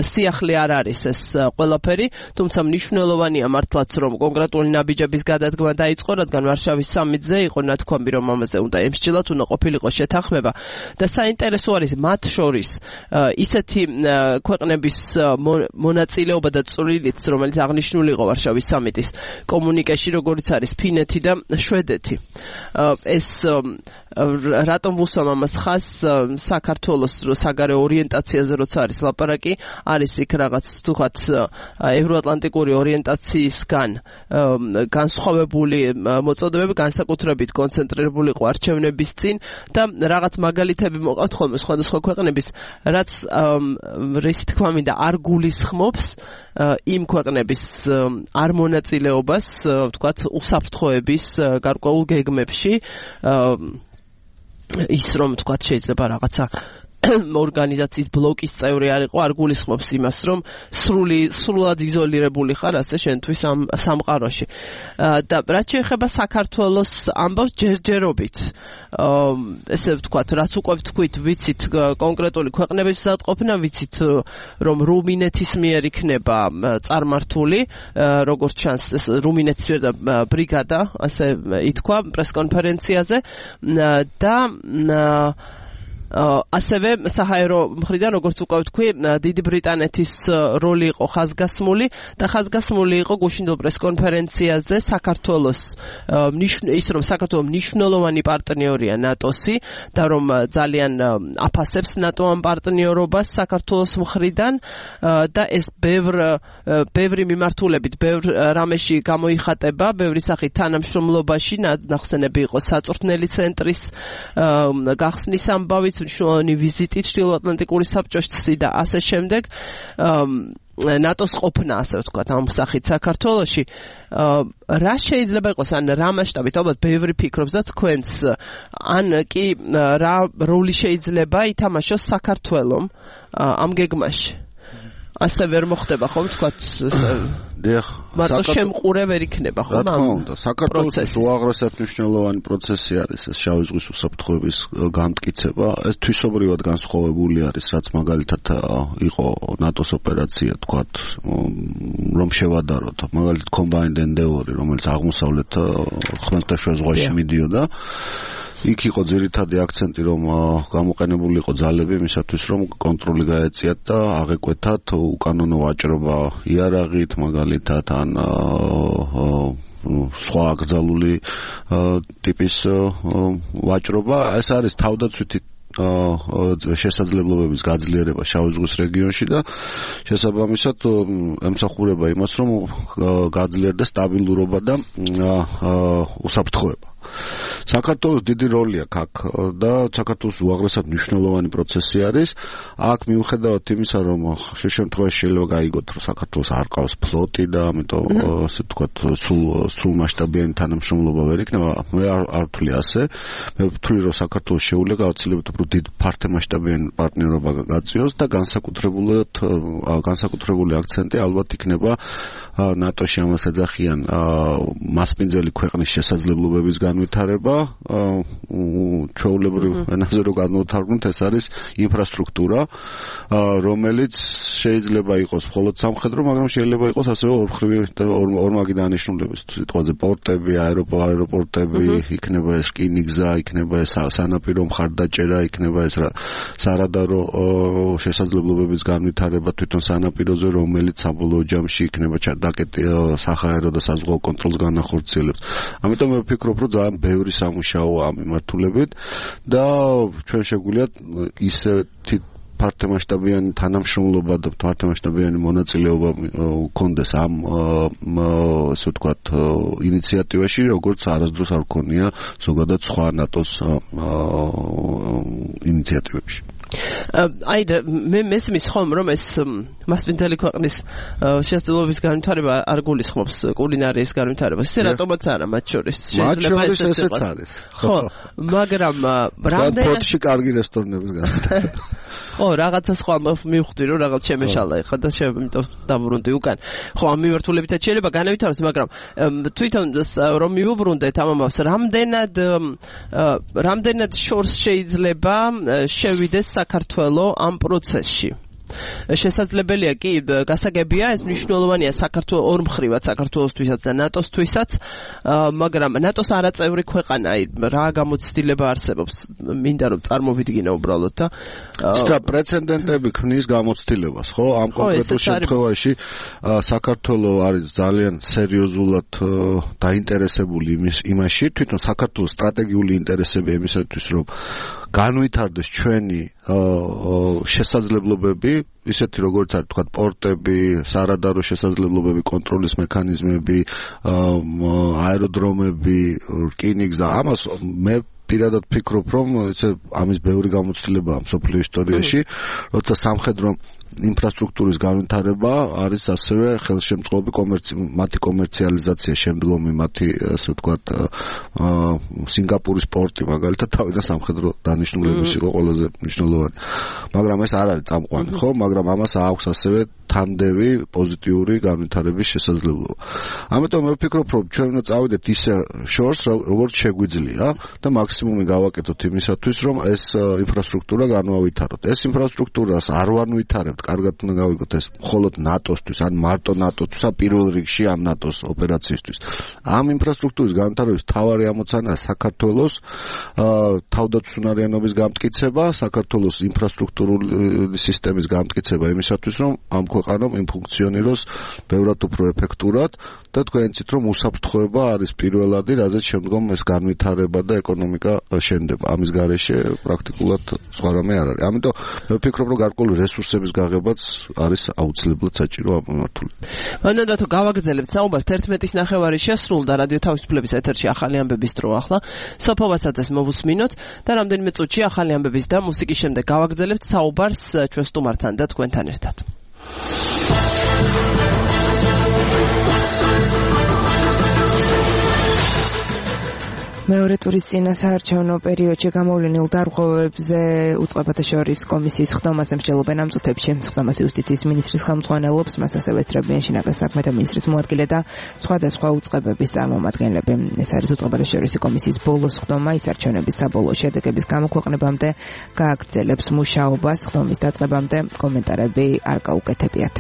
სიახლე არ არის ეს ყველაფერი, თუმცა მნიშვნელოვანია მართლაც, რომ კონკრეტული ნაბიჯების გადადგმა დაიწყო, რადგან ვარშავის სამიტზე იყო ნათქვამი, რომ ამაზე უნდა ემსჯელოთ, უნდა ყოფილიყო შეთანხმება და საინტერესო არის მათ შორის ისეთი ქვეყნების მონაწილეობა და წვლილიც, რომელიც აღნიშნული იყო ვარშავის სამიტის კომუნიკეში, როგორც არის ფინეთი და შვედეთი. ეს რატომ ვუსვამ ამას ხას საქართველოს საგარეო ორიენტაციაზე როცა არის ლაპარაკი, არის იქ რაღაც თქვათ ევროატლანტიკური ორიენტაციისგან განსხვავებული მოწოდებები, განსაკუთრებით კონცენტრირებული იყო არჩევნების წინ და რაღაც მაგალითები მოყავთ ხოლმე სხვადასხვა ქვეყნების, რაც რისი თქმა მინდა არ გულისხმობს იმ ქვეყნების არ მონაწილეობას, ვთქვათ, უსაფრთხოების გარკვეულ გეგმებში, ის რომ ვთქვათ შეიძლება რაღაცა ორგანიზაციის ბლოკის წევრი არ იყო, არ გულისხმობს იმას, რომ სრული სრულად იზოლირებული ხარ ასე შენთვის ამ სამყაროში. და რაც შეეხება საქართველოს ამბავს ჯერჯერობით, ესე ვთქვათ, რაც უკვე ვთქვით, ვიცით კონკრეტული ქვეყნების მზადყოფნა, ვიცით რომ რუმინეთის მიერ იქნება წარმართული, როგორც ჩანს, რუმინეთის მიერ და ბრიგადა, ასე ითქვა პრესკონფერენციაზე და ასევე საჰაერო მხრიდან, როგორც უკვე ვთქვი, დიდი ბრიტანეთის როლი იყო ხაზგასმული და ხაზგასმული იყო გუშინდელ პრესკონფერენციაზე საქართველოს ის რომ საქართველო მნიშვნელოვანი პარტნიორია ნატოსი და რომ ძალიან აფასებს ნატო ამ პარტნიორობას საქართველოს მხრიდან და ეს ბევრ ბევრი მიმართულებით, ბევრ რამეში გამოიხატება, ბევრი სახით თანამშრომლობაში, ნახსენები იყო საწვრთნელი ცენტრის გახსნის ამბავი, მნიშვნელოვანი ვიზიტი ჩრდილოატლანტიკური საბჭოში და ასე შემდეგ ნატოს ყოფნა, ასე ვთქვათ, ამ სახით საქართველოში. რა შეიძლება იყოს, ან რა მასშტაბით, ალბათ ბევრი ფიქრობს და თქვენს, ან კი რა როლი შეიძლება ითამაშოს საქართველომ ამ გეგმაში. ასე ვერ მოხდება ხომ, ვთქვათ, დიახ, მარტო შემყურე ვერ იქნება ხომ? რა თქმა უნდა, საქართველოს უაღრესად მნიშვნელოვანი პროცესი არის ეს შავი ზღვის უსაფრთხოების გამტკიცება. ეს თვისობრივად განსხვავებული არის, რაც მაგალითად იყო ნატოს ოპერაცია, თქვათ, რომ შევადაროთ, მაგალითად Combined Endeavour, რომელიც აღმოსავლეთ ხმელთაშუა ზღვაში მიდიოდა. იქ იყო ძირითადი აქცენტი, რომ გამოყენებული იყო ძალები იმისათვის, რომ კონტროლი გაეწიათ და აღეკვეთათ უკანონო ვაჭრობა იარაღით, მაგალითად ან სხვა აკრძალული ტიპის ვაჭრობა. ეს არის თავდაცვითი შესაძლებლობების გაძლიერება შავი ზღვის რეგიონში და შესაბამისად ემსახურება იმას, რომ გაძლიერდეს სტაბილურობა და უსაფრთხოება. საქართველოს დიდი როლი აქვს აქ და საქართველოს უაღრესად მნიშვნელოვანი პროცესი არის. აქ მიუხედავად იმისა, რომ შე შემთხვევაში შეიძლება გაიგოთ, რომ საქართველოს არ ყავს ფლოტი და ამიტომ ასე ვთქვათ, სულ სულ მასშტაბიანი თანამშრომლობა ვერ იქნება, მე არ ვთვლი ასე. მე ვთვლი, რომ საქართველოს შეუძლია გაუცილებლად უფრო დიდ ფართომასშტაბიანი პარტნიორობა გაწიოს და განსაკუთრებულად განსაკუთრებული აქცენტი ალბათ იქნება ნატოში ამას ეძახიან მასპინძელი ქვეყნის შესაძლებლობების განვითარება, ჩვეულებრივ ენაზე რო განვთარგმნოთ, ეს არის ინფრასტრუქტურა, რომელიც შეიძლება იყოს მხოლოდ სამხედრო, მაგრამ შეიძლება იყოს ასევე ორმხრივი ორმაგი დანიშნულების, სიტყვაზე პორტები, აეროპორტები, იქნება ეს რკინიგზა, იქნება ეს სანაპირო მხარდაჭერა, იქნება ეს სარადარო შესაძლებლობების განვითარება თვითონ სანაპიროზე, რომელიც საბოლოო ჯამში იქნება დაკეტი საჰაერო და საზღვაო კონტროლს განახორციელებს. ამიტომ მე ვფიქრობ, რომ ძალიან ბევრი სამუშაოა ამ მიმართულებით და ჩვენ შეგვიძლია ისეთი ფართომასშტაბიანი თანამშრომლობა და ფართომასშტაბიანი მონაწილეობა გქონდეს ამ ასე ვთქვათ ინიციატივაში, როგორც არასდროს არ გქონია ზოგადად სხვა ნატოს ინიციატივებში. აი მე მესმის ხომ რომ ეს მასპინძელი ქვეყნის შესაძლებლობის განვითარება არ გულისხმობს კულინარიის განვითარებას. ისე რატომაც არა მათ შორის. შეიძლება ესეც არის. ხო, მაგრამ რამდენად პორტში კარგი რესტორნების განვითარება. ხო, რაღაცა სხვა მივხვდი რომ რაღაც შემეშალა ეხლა და შემიტომ დავბრუნდი უკან. ხო, ამ მიმართულებითაც შეიძლება განავითაროს, მაგრამ თვითონ რომ მივუბრუნდეთ ამ ამას, რამდენად რამდენად შორს შეიძლება შევიდეს საქართველო ამ პროცესში. შესაძლებელია კი გასაგებია ეს მნიშვნელოვანია საქართველოს ორ მხრივად საქართველოსთვისაც და ნატოსთვისაც მაგრამ ნატოს არაწევრი ქვეყანა რა გამოცდილება არსებობს მინდა რომ წარმოვიდგინო უბრალოდ და ცოტა პრეცედენტები ქმნის გამოცდილებას ხო ამ კონკრეტულ შემთხვევაში საქართველოს არის ძალიან სერიოზულად დაინტერესებული იმის იმაში თვითონ საქართველოს სტრატეგიული ინტერესები იმისათვის რომ განვითარდეს ჩვენი შესაძლებლობები ისეთი როგორც არის თქვა პორტები, სარადარო შესაძლებლობები, კონტროლის მექანიზმები, აეროდრომები, რკინიგზა ამას მე პირადად ფიქრობ რომ ესე ამის ბევრი გამოცდილებაა მსოფლიო ისტორიაში როცა სამხედრო ინფრასტრუქტურის განვითარება არის ასევე ხელშემწყობი მათი კომერციალიზაცია შემდგომი მათი ასე ვთქვათ სინგაპურის პორტი მაგალითად თავიდან სამხედრო დანიშნულების იყო ყველაზე მნიშვნელოვანი მაგრამ ეს არ არის წამყვანი ხო მაგრამ ამას აქვს ასევე თანდევი პოზიტიური განვითარების შესაძლებლობა ამიტომ მე ვფიქრობ რომ ჩვენ უნდა წავიდეთ ისე შორს როგორც შეგვიძლია და მაქსიმუმი გავაკეთოთ იმისათვის რომ ეს ინფრასტრუქტურა განვავითაროთ ეს ინფრასტრუქტურას არ ვანვითარებთ კარგად უნდა გავიგოთ ეს მხოლოდ ნატოსთვის ან მარტო ნატოსთვის ან პირველ რიგში ამ ნატოს ოპერაციისთვის ამ ინფრასტრუქტურის განვითარების მთავარი ამოცანაა საქართველოს თავდაცვისუნარიანობის გამტკიცება საქართველოს ინფრასტრუქტურული სისტემის გამტკიცება იმისათვის რომ ამ ქვეყანამ იმ ფუნქციონიროს ბევრად უფრო ეფექტურად და თქვენ იცით რომ უსაფრთხოება არის პირველადი რაზეც შემდგომ ეს განვითარება და ეკონომიკა შენდება ამის გარეშე პრაქტიკულად სხვა რამე არ არის ამიტომ მე ვფიქრობ რომ გარკვეული რესურსების გაღებაც არის აუცილებლად საჭირო ამ მიმართულებით მანდა თუ გავაგრძელებთ საუბარს თერთმეტის ნახევარი შესრულდა რადიო თავისუფლების ეთერში ახალი ამბების დრო ახლა სოფოვასაც მოვუსმინოთ და რამდენიმე წუთში ახალი ამბების და მუსიკის შემდეგ გავაგრძელებთ საუბარს ჩვენ სტუმართან და თქვენთან ერთად მეორე ტურის წინასაარჩევნო პერიოდში გამოვლენილ დარღვევებზე უწყებათა შორის კომისიის ხდომაზე მსჯელობენ ამ წუთებში. ხდომას იუსტიციის მინისტრის ხელმძღვანელობს, მას ასევე ესწრებიან შინაგან საქმეთა მინისტრის მოადგილე და სხვადასხვა უწყებების წარმომადგენლები. ეს არის უწყებათა შორის კომისიის ბოლოს ხდომა, ის არჩევნების საბოლოო შედეგების გამოქვეყნებამდე გააგრძელებს მუშაობას, ხდომის დაწყებამდე კომენტარები არ გაუკეთებიათ.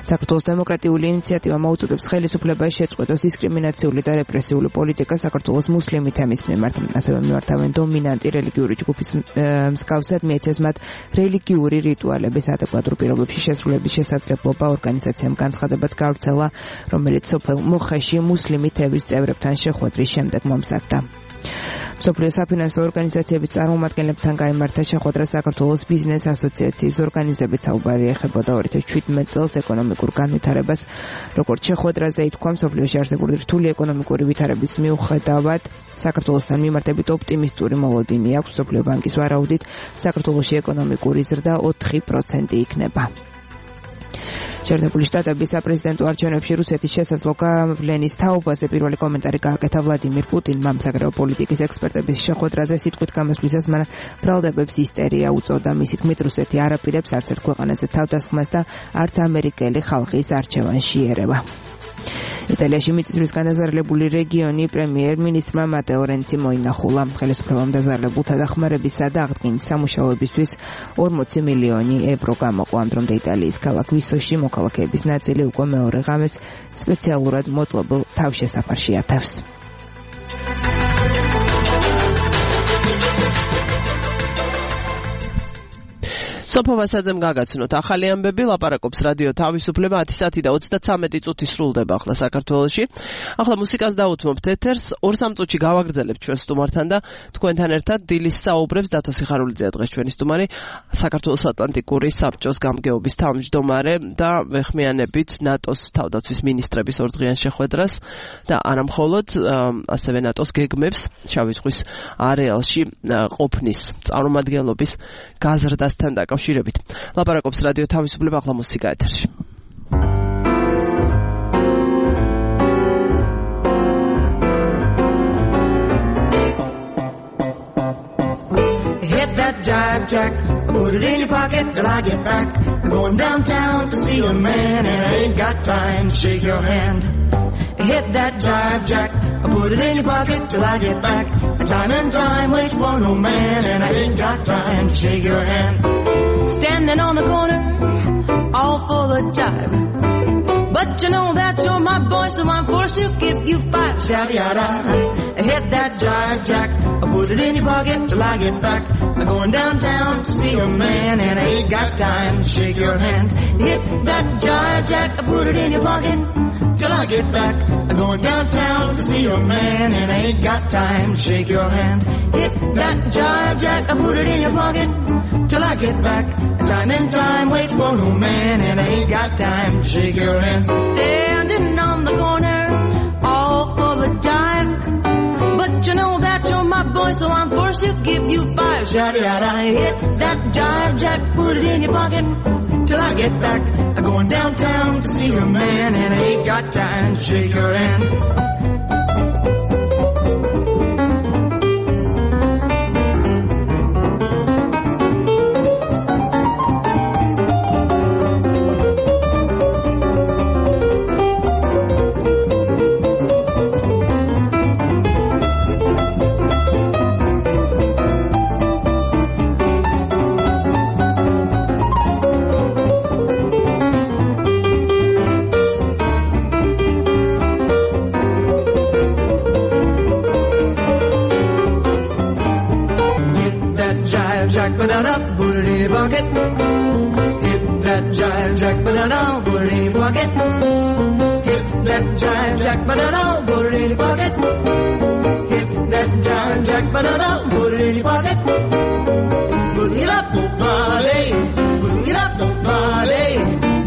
საქართველოს დემოკრატიული ინიციატივა მოუწოდებს ხელისუფლებას შეწყვეტოს დისკრიმინაციული და რეპრესიული პოლიტიკა საქართველოს მუსლიმი თემის მიმართ, ასევე მიმართავენ დომინანტი რელიგიური ჯგუფის მსგავსად მიეცეს მათ რელიგიური რიტუალების ადეკვატურ პირობებში შესრულების შესაძლებლობა ორგანიზაციამ განცხადებაც გავრცელა, რომელიც სოფელ მოხეში მუსლიმი თემის წევრებთან შეხვედრის შემდეგ მომზადდა. მსოფლიო საფინანსო ორგანიზაციების წარმომადგენლებთან გაიმართა შეხვედრა საქართველოს ბიზნეს ასოციაციის ორგანიზებით საუბარი ეხებოდა ორი ათას შვიდმეტ წელს ეკონომიკურ განვითარებას. როგორც შეხვედრაზე ითქვა, მსოფლიოში არსებული რთული ეკონომიკური ვითარების მიუხედავად საქართველოსთან მიმართებით ოპტიმისტური მოლოდინი აქვს. მსოფლიო ბანკის ვარაუდით საქართველოში ეკონომიკური ზრდა ოთხი პროცენტი იქნება. შეერთებული შტატების საპრეზიდენტო არჩევნებში რუსეთის შესაძლო გავლენის თაობაზე პირველი კომენტარი გააკეთა ვლადიმირ პუტინმა. საგარეო პოლიტიკის ექსპერტების შეხვედრაზე სიტყვით გამოსვლისას მან ბრალდებებს ისტერია უწოდა. მისი თქმით, რუსეთი არ აპირებს არც ერთ ქვეყანაზე თავდასხმას და არც ამერიკელი ხალხის არჩევანში ერევა. იტალიაში მიწისძვრის განაზარალებული რეგიონი პრემიერ-მინისტრმა მატეო რენცი მოინახულა. ხელისუფლებამ დაზარალებულთა დახმარებისა და აღდგენის სამუშაოებისთვის ორმოცი მილიონი ევრო გამოყო. ამ დრომდე იტალიის ქალაქ ვისოში მოქალაქეების ნაწილი უკვე მეორე ღამეს სპეციალურად მოწყობილ თავშესაფარში ათავს. სოფოვასაძემ გაგაცნოთ ახალი ამბები ლაპარაკობს რადიო თავისუფლება ათი საათი და ოცდათვრამეტი წუთი სრულდება ახლა საქართველოში. ახლა მუსიკას დავუთმობთ ეთერს, ორ სამ წუთში გავაგრძელებთ ჩვენ სტუმართან და თქვენთან ერთად დილის საუბრებს დათო სიხარულიძეა დღეს ჩვენი სტუმარი, საქართველოს ატლანტიკური საბჭოს გამგეობის თავმჯდომარე და ვეხმიანებით ნატოს თავდაცვის მინისტრების ორდღიან შეხვედრას და არამხოლოდ ასევე ნატოს გეგმებს შავი ზღვის არეალში ყოფნის წარმომადგენლობის გაზრდასთან დაკავშირებით. ლაპარაკობს რადიო თავისუფლება ახლა მუსიკა ეთერში. Hit that jive jack, put it in your pocket till I get back. I'm going downtown to see a man and I ain't got time to shake your hand. Hit that jive jack, put it in your pocket till I get back. Time and time waits for no man and I ain't got time to shake your hand. Standing on the corner all for the jive. But you know that you're my boy, so I'm forced to give you five. Shout yada, hit that jive jack. I put it in your pocket till I get back. I'm going downtown to see a man, and I ain't got time to shake your hand. Hit that jive jack. I put it in your pocket till I get back. I'm going downtown to see a man, and I ain't got time to shake your hand. Hit that jive jack. I put it in your pocket till I get back. Time and time waits for no man, and I ain't got time to shake your hand. Standing on the corner, all for the jive. But you know that you're my boy, so I'm forced to give you five. Shout yada, hit that jive jack, put it in your pocket till I get back. I'm going downtown to see a man, and I ain't got time to shake your hand. Ba-da-da, put it in your pocket. Hit that jive jack, ba-da-da, put it in your pocket. Hit that jive jack, ba-da-da, put it in your pocket. Hit that jive jack, ba-da-da, put it in your pocket. Put it up, nobody. Put it up, nobody.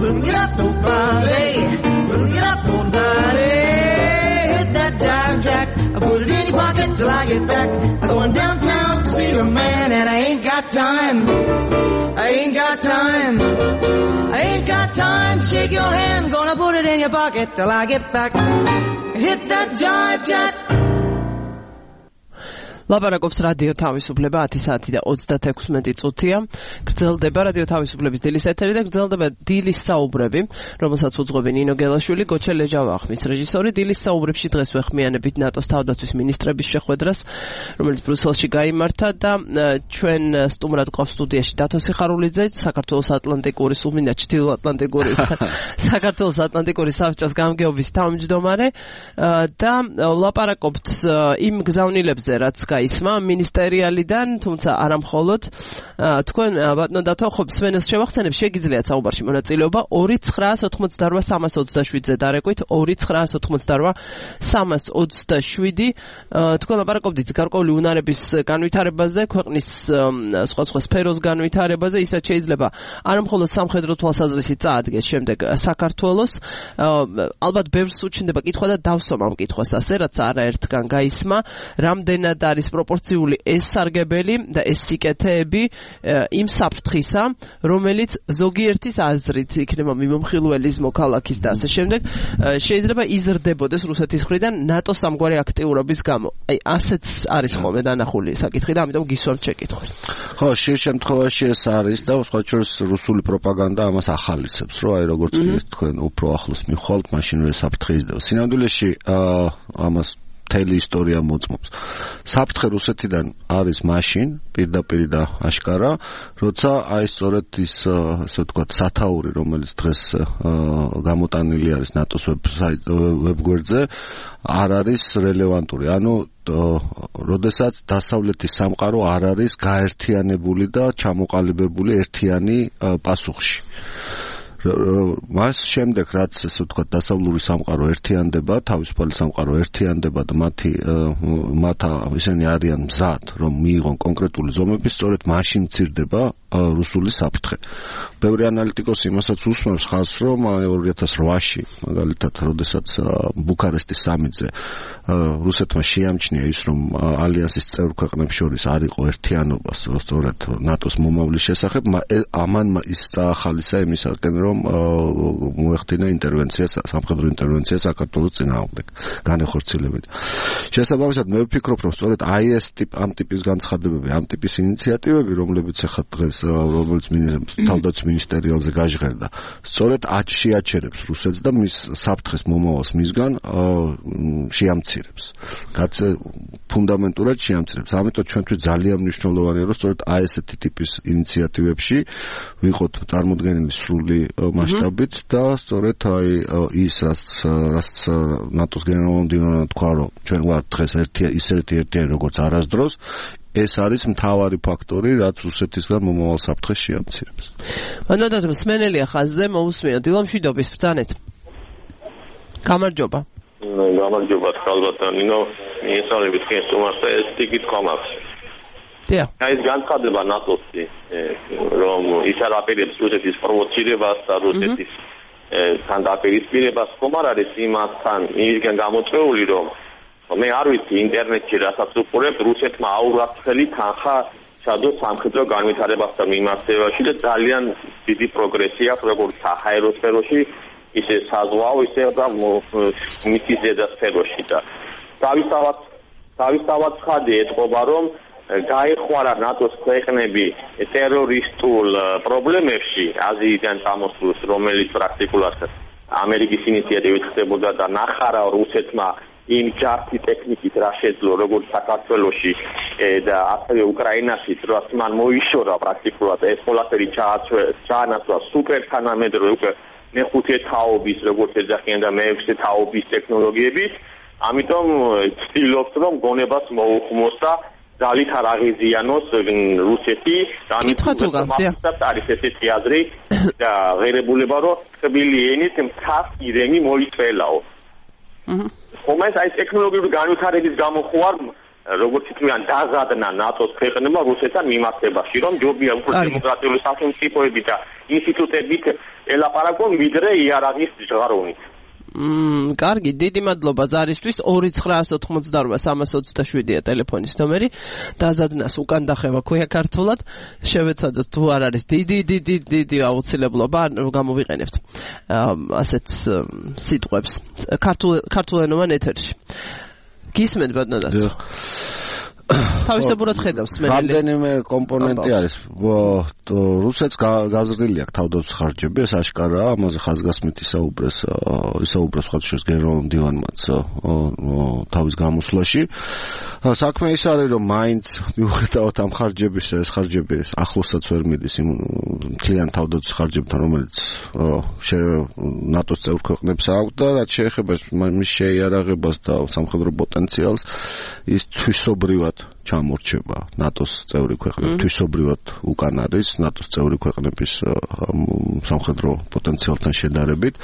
Put it up, nobody. Put it up, nobody. Hit that jive jack, I put it in your pocket till I get back. I'm going downtown to see a man, and I ain't got time. I ain't got time. I ain't got time to shake your hand. Gonna put it in your pocket till I get back. Hit that jive jack. ლაპარაკობს რადიო თავისუფლება ათი საათი და ოცდათექვსმეტი წუთია. გრძელდება რადიო თავისუფლების დილის ეთერი და გრძელდება დილის საუბრები, რომელსაც უძღვები ნინო გელაშვილი, გოჩა ლეჯავა ხმის რეჟისორი. დილის საუბრებში დღეს ვეხმიანებით ნატოს თავდაცვის მინისტრების შეხვედრას, რომელიც ბრიუსელში გაიმართა და ჩვენ სტუმრად გვყავს სტუდიაში დათო სიხარულიძე, საქართველოს ატლანტიკური სუმინა ჩრდილოატლანტიკური საქართველოს ატლანტიკური საბჭოს გამგეობის თავმჯდომარე და ლაპარაკობთ იმ გზავნილებზე, რაც ისმა მინისტერიალიდან, თუმცა არა მხოლოდ თქვენ ბატონო დათო ხო სვენელს შევახსენებ, შეგიძლიათ საუბარში მონაწილეობა ორი ცხრაას ოთხმოცდაოთხ სამას ოცდაშვიდზე დარეკვით ორი ცხრაას ოთხმოცდაოთხ სამას ოცდაშვიდი. თქვენ ლაპარაკობდით გარკვეული უნარების განვითარებაზე, ქვეყნის სხვა სხვა სფეროს განვითარებაზე, ისაც შეიძლება არა მხოლოდ სამხედრო თვალსაზრისით წაადგეს შემდეგ საქართველოს. ალბათ ბევრს უჩნდება კითხვა და დავსვამ ამ კითხვას ასე, რაც არაერთგან გაისმა, რამდენად არის პროპორციული ეს სარგებელი და ეს სიკეთეები იმ საფრთხისა, რომელიც ზოგიერთის აზრით იქნება მიმომხილველის მოქალაქის და ასე შემდეგ, შეიძლება იზრდებოდეს რუსეთის მხრიდან ნატოს ამგვარი აქტიურობის გამო. აი, ასეც არის ხოლმე დანახული საკითხი და ამიტომ გისვამთ შეკითხვას. ხო, შე შემთხვევაში ეს არის და სხვა შორის რუსული პროპაგანდა ამას ახალისებს, რომ აი როგორც თქვენ უფრო ახლოს მიხვალთ, მაშინვე საფრთხე იზრდება. სინამდვილეში ამას მთელი ისტორია მოწმობს. საფრთხე რუსეთიდან არის მაშინ, პირდაპირ და აშკარა, როცა აი სწორედ ის, ასე ვთქვათ, სათაური, რომელიც დღეს გამოტანილი არის ნატოს ვებგვერდზე, არ არის რელევანტური. ანუ როდესაც დასავლეთის სამყარო არ არის გაერთიანებული და ჩამოყალიბებული ერთიანი პასუხში. მას შემდეგ რაც ესე ვთქვათ დასავლური სამყარო ერთიანდება, თავისუფალი სამყარო ერთიანდება და მათი მათ ისინი არიან მზად, რომ მიიღონ კონკრეტული ზომები, სწორედ მაშინ მცირდება რუსული საფრთხე. ბევრი ანალიტიკოსი იმასაც უსმენს ხაზს, რომ ორი ათას ოთხში, მაგალითად, როდესაც ბუქარესტის სამიტზე რუსეთმა შეამჩნია ის, რომ ალიანსის წევრ ქვეყნებს შორის არ იყო ერთიანობა, სწორედ ნატოს მომავლის შესახებ, ამან ის წაახალისა იმისაკენ, რომ მოეხდინა ინტერვენცია, სამხედრო ინტერვენცია საქართველოს წინააღმდეგ, განეხორციელებით. შესაბამისად, მე ვფიქრობ, რომ სწორედ აი ეს ტიპ ამ ტიპის განცხადებები, ამ ტიპის ინიციატივები, რომლებიც ახლა დღეს რომელიც თავდაცვის მინისტერიალზე გაჟღერდა, სწორედ შეაჩერებს რუსეთს და მის საფრთხეს მომავალს მისგან შეამცირებს. რაც ფუნდამენტურად შეამცირებს. ამიტომ ჩვენთვის ძალიან მნიშვნელოვანია, რომ სწორედ აი ესეთი ტიპის ინიციატივებში ვიყოთ წარმოდგენილი სრული მასშტაბით და სწორედ აი ის რაც რაც ნატოს გენერალურ მდივანმა თქვა, რომ ჩვენ ვართ დღეს ერთი ისეთი ერთიანი როგორც არასდროს, ეს არის მთავარი ფაქტორი, რაც რუსეთისგან მომავალ საფრთხეს შეამცირებს. მანამდე მსმენელია ხაზზე, მოусმინოთ დილამშვიდობის ბრძანეთ. გამარჯობა. გამარჯობა, ხალბატონ ნინო, მიესალმებით თქვენ სტუმარს და ეს ტიკით კომაქს. დიახ. აი ეს განცხადება ნატოსი, რომ ის არ აპირებს რუსეთის პროვოცირებას და რუსეთის თან დაპირისპირებას, ხომ არ არის იმასთან მისგან გამოწვეული, რომ მე არ ვიცი ინტერნეტში რასაც უყურებ, რუსეთმა აურაცხელი თანხა ჩადო სამხედრო განვითარებასთან მიმართებაში და ძალიან დიდი პროგრესი აქვს როგორც საჰაერო სფეროში, ისე საზღვაო, ისე და მიწის ზედა სფეროში და თავისთავად თავისთავად ხადი ეთყობა, რომ გაეხوارა ნატოს ქვეყნები ტერორისტულ პრობლემებში აზიიდან წამოსვლას, რომელიც პრაქტიკულად ამერიკის ინიციატივით ხდებოდა და ნახარა რუსეთმა იმ ჯართი ტექნიკით რა შეძლო როგორც საქართველოში და ასევე უკრაინაში, რაც მან მოიშორა პრაქტიკულად ეს ყველაფერი ჩაანაცვლა სუპერ თანამედროვე უკვე მეხუთე თაობის როგორც ეძახიან და მეექვსე თაობის ტექნოლოგიებით, ამიტომ ცდილობს რომ გონებას მოუხმოს და ძალით არ აღიზიანოს რუსეთი, ამიტომ არის ესეთი აზრი და ღირებულება რომ თბილი ენით მთას ირემი მოიწველაო. ხომ ეს აი ტექნოლოგიური განვითარების გამო ხო არ როგორც თქვენ დაზადნა ნატოს ქვეყნებმა რუსეთთან მიმართებაში, რომ ჯობია უფრო დემოკრატიული სახელმწიფოები და ინსტიტუტებით ელაპარაკონ ვიდრე იარაღის ჟღაროვნით. მმ, კარგი, დიდი მადლობა ზარისთვის. ორი ცხრა ოთხმოცდაორ სამას ოცდაშვიდია ტელეფონის ნომერი. დაზადნას უკან დახევა ქვია ქართულად. შევეცადოთ თუ არ არის დიდი დიდი დიდი აუცილებლობა, გამოვიყენებთ ასეთ სიტყვებს. ქართულ ქართულენოვან ეთერში. გისმენთ ბატონო. თავისებურად ხედავს მენელი. რამდენიმე კომპონენტი არის. რუსეთს გაზრდილი აქვს თავდაცვის ხარჯები, ეს აშკარაა, ამაზე ხაზგასმით ისაუბრეს, ისაუბრეს ხათშეს გენერალურ მდივანმაც თავის გამოსვლაში. საქმე ის არის, რომ მაინც მიუხედავად ამ ხარჯების, ეს ხარჯები ახლოსაც ვერ მიდის იმ მთლიან თავდაცვის ხარჯებთან, რომელიც ნატოს წევრ ქვეყნებს აქვს და რაც შეეხება მის შეიარაღებას და სამხედრო პოტენციალს, ის თვისობრივად ჩამორჩება ნატოს წევრი ქვეყნები, თვისობრივად უკან არის ნატოს წევრი ქვეყნების სამხედრო პოტენციალთან შედარებით.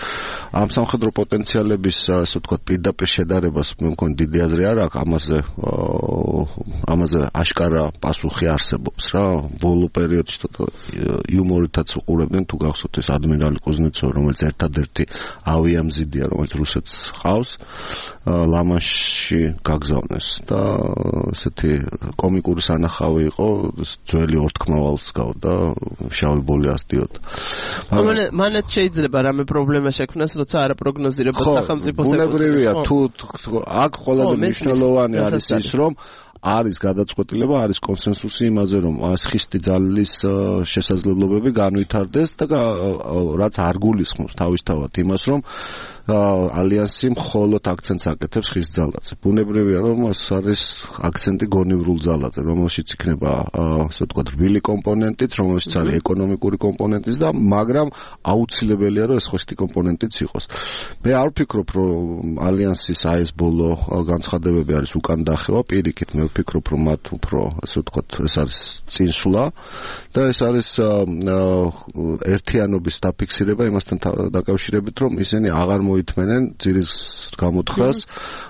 ამ სამხედრო პოტენციალების, ასე ვთქვათ, პირდაპირ შედარებას მე მგონი დიდი აზრი არ აქვს, ამაზე ამაზე აშკარა პასუხი არსებობს რა. ბოლო პერიოდში იუმორითაც უყურებდნენ, თუ გახსოვთ ეს ადმირალი კუზნეცოვი, რომელიც ერთადერთი ავიამზიდია, რომელიც რუსეთს ჰყავს, ლა-მანშში გაგზავნეს და ესეთი კომიკური სანახავი იყო, ძველი ორთქმავალს გავდა, შავი ბოლი ასდიოდა. მანაც შეიძლება რამე პრობლემა შექმნას, როცა არა პროგნოზირებად სახელმწიფოს ეკუთვნის. ბუნებრივია, თუ აქ ყველაზე მნიშვნელოვანი არის ის, რომ არის გადაწყვეტილება, არის კონსენსუსი იმაზე, რომ ხისტი ძალის შესაძლებლობები განვითარდეს და რაც არ გულისხმობს თავისთავად იმას, რომ ალიანსი მხოლოდ აქცენტს აკეთებს ხის ძალაზე. ბუნებრივია, რომ ეს არის აქცენტი გონივრულ ძალაზე, რომელშიც იქნება, ასე ვთქვათ, რბილი კომპონენტიც, რომელშიც არის ეკონომიკური კომპონენტიც და მაგრამ აუცილებელია, რომ ეს ხისტი კომპონენტიც იყოს. მე არ ვფიქრობ, რომ ალიანსის აი ეს ბოლო განცხადებები არის უკან დახევა, პირიქით მე ვფიქრობ, რომ მათ უფრო, ასე ვთქვათ, ეს არის წინსვლა და ეს არის ერთიანობის დაფიქსირება იმასთან დაკავშირებით, რომ ისინი აღარ მოითმენენ ძირის გამოთხრას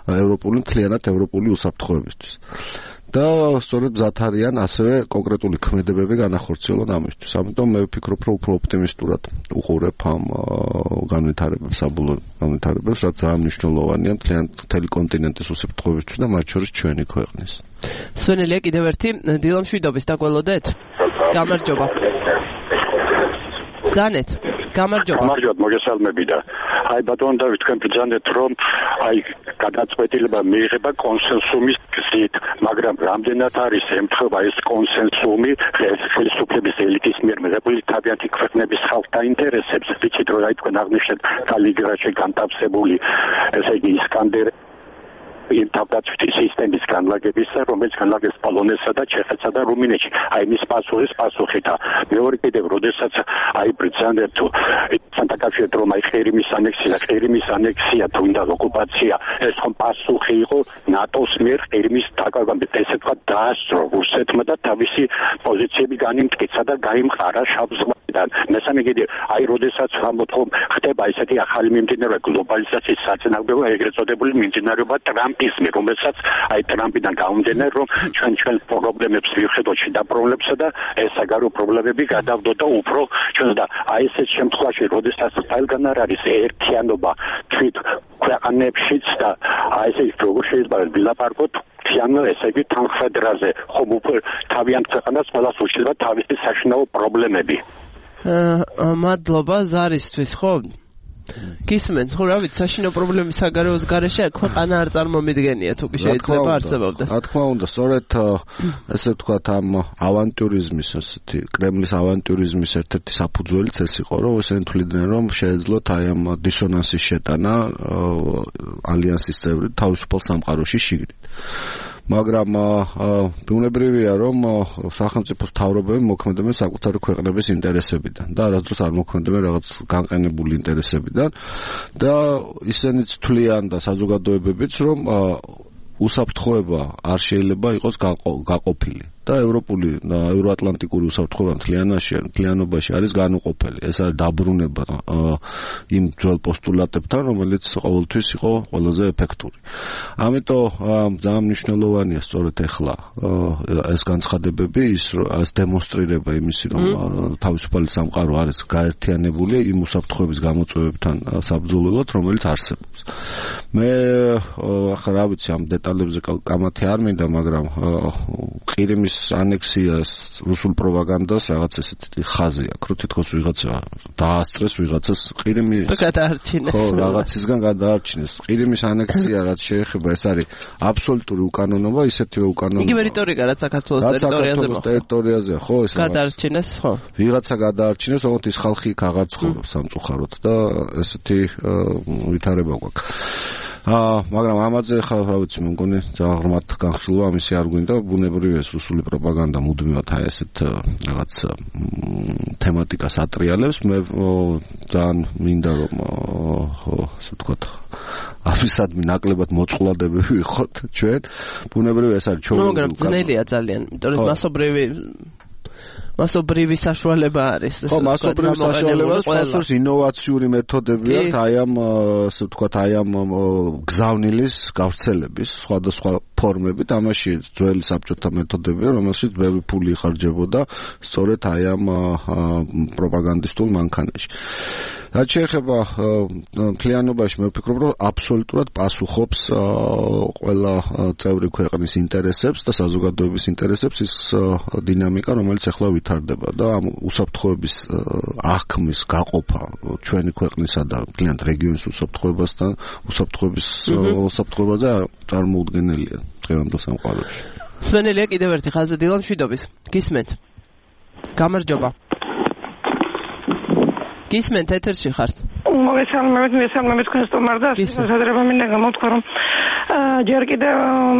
ევროპული, მთლიანად ევროპული უსაფრთხოებისთვის. და სწორედ მზად არიან ასევე კონკრეტული ქმედებები განახორციელონ ამისთვის. ამიტომ მე ვფიქრობ, რომ უფრო ოპტიმისტურად უყურებ ამ განვითარებებს, საბოლოო განვითარებებს, რაც ძალიან მნიშვნელოვანია მთელი კონტინენტის უსაფრთხოებისთვის და მათ შორის ჩვენი ქვეყნის. სვენელია კიდევ ერთი დილამშვიდობის დაგველოდეთ. გამარჯობა. ბრძანეთ. გამარჯობა. გამარჯობა, მოგესალმები და აი ბატონო დავით თქვენ ბრძანეთ რომ აი გადაწყვეტილება მიიღება კონსენსუმის გზით, მაგრამ რამდენად არის ემთხვევა ეს კონსენსუმი ხელისუფლების ელიტის მიერ მიღებული თავიანთი ქვეყნების ხალხთა ინტერესებს, ვიცით რომ აი თქვენ აღნიშნეთ კალიგრაში განთავსებული ესე იგი ისკანდერ იმ თავდაცვითი სისტემის განლაგებისა, რომელიც განლაგებს პოლონეთსა და ჩეხეთსა და რუმინეთში. აი მის პასუხის პასუხი და მეორე კიდევ, როდესაც აი ბრძანებთ თუ სანტაკავშირით რომ აი ყირიმის ანექსია, ყირიმის ანექსია თუ ინდა ოკუპაცია, ეს ხომ პასუხი იყო ნატოს მიერ ყირიმის დაკავებამდე, ესე თქვა დაასწრო რუსეთმა და თავისი პოზიციები განიმტკიცა და გაიმყარა შავ ზღვიდან. მესამე კიდევ, აი როდესაც ვამბობთ რომ ხდება ესეთი ახალი მიმდინარეობა გლობალიზაციის საწინააღმდეგო ეგრეთ წოდებული მიმდინარეობა ტრამპიზმი, რომელსაც აი ტრამპიდან გამომდინარე რომ ჩვენ ჩვენ პრობლემებს ვიხდოთ და პრობლემებსა და ეს საგარეო პრობლემები გადავდოთ და უფრო ჩვენ და აი ესეთ შემთხვევაში როდესაც ყველგან არ არის ერთიანობა თვით ქვეყნებშიც და აი ესე როგორ შეიძლება ვილაპარაკოთ თიანო ესე იგი თანხმდრაზე ხომ უფრო თავიანთ ქვეყანას ყველას უშლება თავისი საშინაო პრობლემები. მადლობა ზარისთვის, ხო? გისმენთ, ხო, რა ვიცი, საშინაო პრობლემის საგარეოს გარეშე ქვეყანა არ წარმომიდგენია, თუ კი შეიძლება არსებობდეს. რა თქმა უნდა, სწორედ ესე ვთქვათ, ამ ავანტიურიზმის, ასეთი კრემლის ავანტიურიზმის ერთ-ერთი საფუძველიც ეს იყო, რომ ესენი თვლიდნენ, რომ შეეძლოთ აი ამ დისონანსის შეტანა ალიანსის წევრით თავისუფალ სამყაროში შიგნით. მაგრამ ბუნებრივია რომ სახელმწიფო მთავრობები მოქმედებენ საკუთარი ქვეყნების ინტერესებიდან და არასდროს არ მოქმედებენ რაღაც განყენებული ინტერესებიდან და ისინიც თვლიან და საზოგადოებებიც რომ უსაფრთხოება არ შეიძლება იყოს გაყოფილი და ევროპული და ევროატლანტიკური უსაფრთხოება მთლიანობაში არის განუყოფელი. ეს არის დაბრუნება იმ ძველ პოსტულატებთან, რომელიც ყოველთვის იყო ყველაზე ეფექტური. ამიტომ ძალიან მნიშვნელოვანია სწორედ ახლა ეს განცხადებები, ის ეს დემონსტრირება იმისი, რომ თავისუფალი სამყარო არის გაერთიანებული იმ უსაფრთხოების გამოწვევებთან საბრძოლველად, რომელიც არსებობს. მე ახლა რა ვიცი ამ დეტალებზე კამათი არ მინდა, მაგრამ ყირიმის ანექსიას რუსულ პროპაგანდას რაღაც ესეთი ხაზი აქვს, რომ თითქოს ვიღაცა დაასწრეს ვიღაცას ყირიმი გადაარჩინეს. ხო, რაღაცისგან გადაარჩინეს. ყირიმის ანექსია რაც შეეხება, ეს არის აბსოლუტური უკანონობა, ისეთივე უკანონობა. იგივე რიტორიკა რაც საქართველოს ტერიტორიაზე მოხდა. ტერიტორიაზეა, ხო, ეს გადაარჩინეს, ხო. ვიღაცა გადაარჩინეს, თუმცა ის ხალხი იქ აღარ ცხოვრობს სამწუხაროდ და ესეთი ვითარება გვაქვს. აა მაგრამ ამაზე ხა რა ვიცი მე მგონი ძალიან ღრმად განხილვა ამისი არ გვინდა ბუნებრივია ეს რუსული პროპაგანდა მუდმივად აი ესეთ რაღაც თემატიკას ატრიალებს მე ძალიან მინდა რომ ასე ვთქვათ აფისადმი ნაკლებად მოწყვლადებები ვიყოთ ჩვენ ბუნებრივია ეს არის ჩვენ მაგრამ ძნელია ძალიან იმიტომ რომ მასობრივი მასობრივი საშუალება არის. ხო, მასობრივი საშუალება სწორედ ინოვაციური მეთოდები აქვს აი ამ ასე ვთქვათ აი ამ გზავნილის გავრცელების სხვადასხვა ფორმებით, ამაში ძველი საბჭოთა მეთოდებია, რომელშიც ბევრი ფული იხარჯებოდა სწორედ აი ამ პროპაგანდისტულ მანქანაში. რაც შეეხება მთლიანობაში მე ვფიქრობ, რომ აბსოლუტურად პასუხობს ყველა წევრი ქვეყნის ინტერესებს და საზოგადოების ინტერესებს ის დინამიკა, რომელიც ახლა ვითარდება და ამ უსაფრთხოების აღქმის გაყოფა ჩვენი ქვეყნისა და მთლიან რეგიონის უსაფრთხოებასთან, უსაფრთხოების უსაფრთხოებაზე წარმოუდგენელია დღევანდელ სამყაროში. სვენელია კიდევ ერთი ხაზი დილა მშვიდობის. გისმენთ. გამარჯობა. გისმენთ ეთერში ხართ. მოგესალმებით, მოგესალმებით თქვენ სტუმარ და შესაძლოა მინდა გამოთქვა რომ ჯერ კიდევ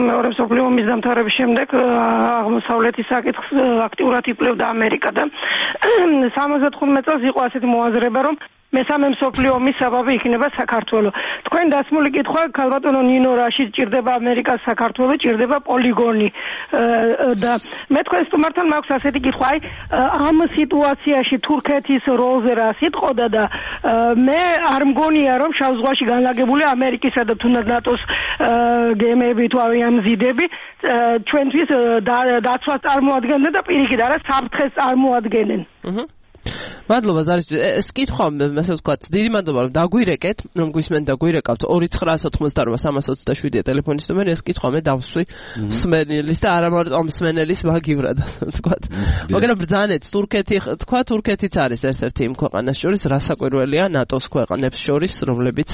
მეორე მსოფლიო ომის დამთავრების შემდეგ აღმოსავლეთის საკითხს აქტიურად იკვლევდა ამერიკა და სამოცდა თხუთმეტ წელს იყო ასეთი მოაზრება რომ მესამე მსოფლიო ომის საბაბი იქნება საქართველო. თქვენ დასმული კითხვა ქალბატონო ნინო რაში ჭირდება ამერიკას საქართველო, ჭირდება პოლიგონი და მე თქვენ სტუმართან მაქვს ასეთი კითხვა, აი ამ სიტუაციაში თურქეთის როლზე რა სიტყოდა და მე არ მგონია რომ შავ ზღვაში განლაგებული ამერიკისა და თუნდაც ნატოს გემები თუ ავიამზიდები ჩვენთვის დაცვას წარმოადგენენ და პირიქით არა საფრთხეს წარმოადგენენ. მადლობა ზარისთვის. ეს კითხვა, ასე ვთქვათ, დიდი მადლობა რომ დაგვირეკეთ, რომ გვისმენ და გვირეკავთ ორი ცხრა ოთხმოცდაოთხ სამას ოცდაშვიდი ტელეფონის ნომერი. ეს კითხვა მე დავსვი მსმენელის და არა მარტო მსმენელის ვაგივრად, ასე ვთქვათ. მაგრამ ბრძანეთ, თურქეთი თქვა, თურქეთიც არის ერთ-ერთი იმ ქვეყანას შორის, რასაკვირველია ნატოს ქვეყნებს შორის, რომლებიც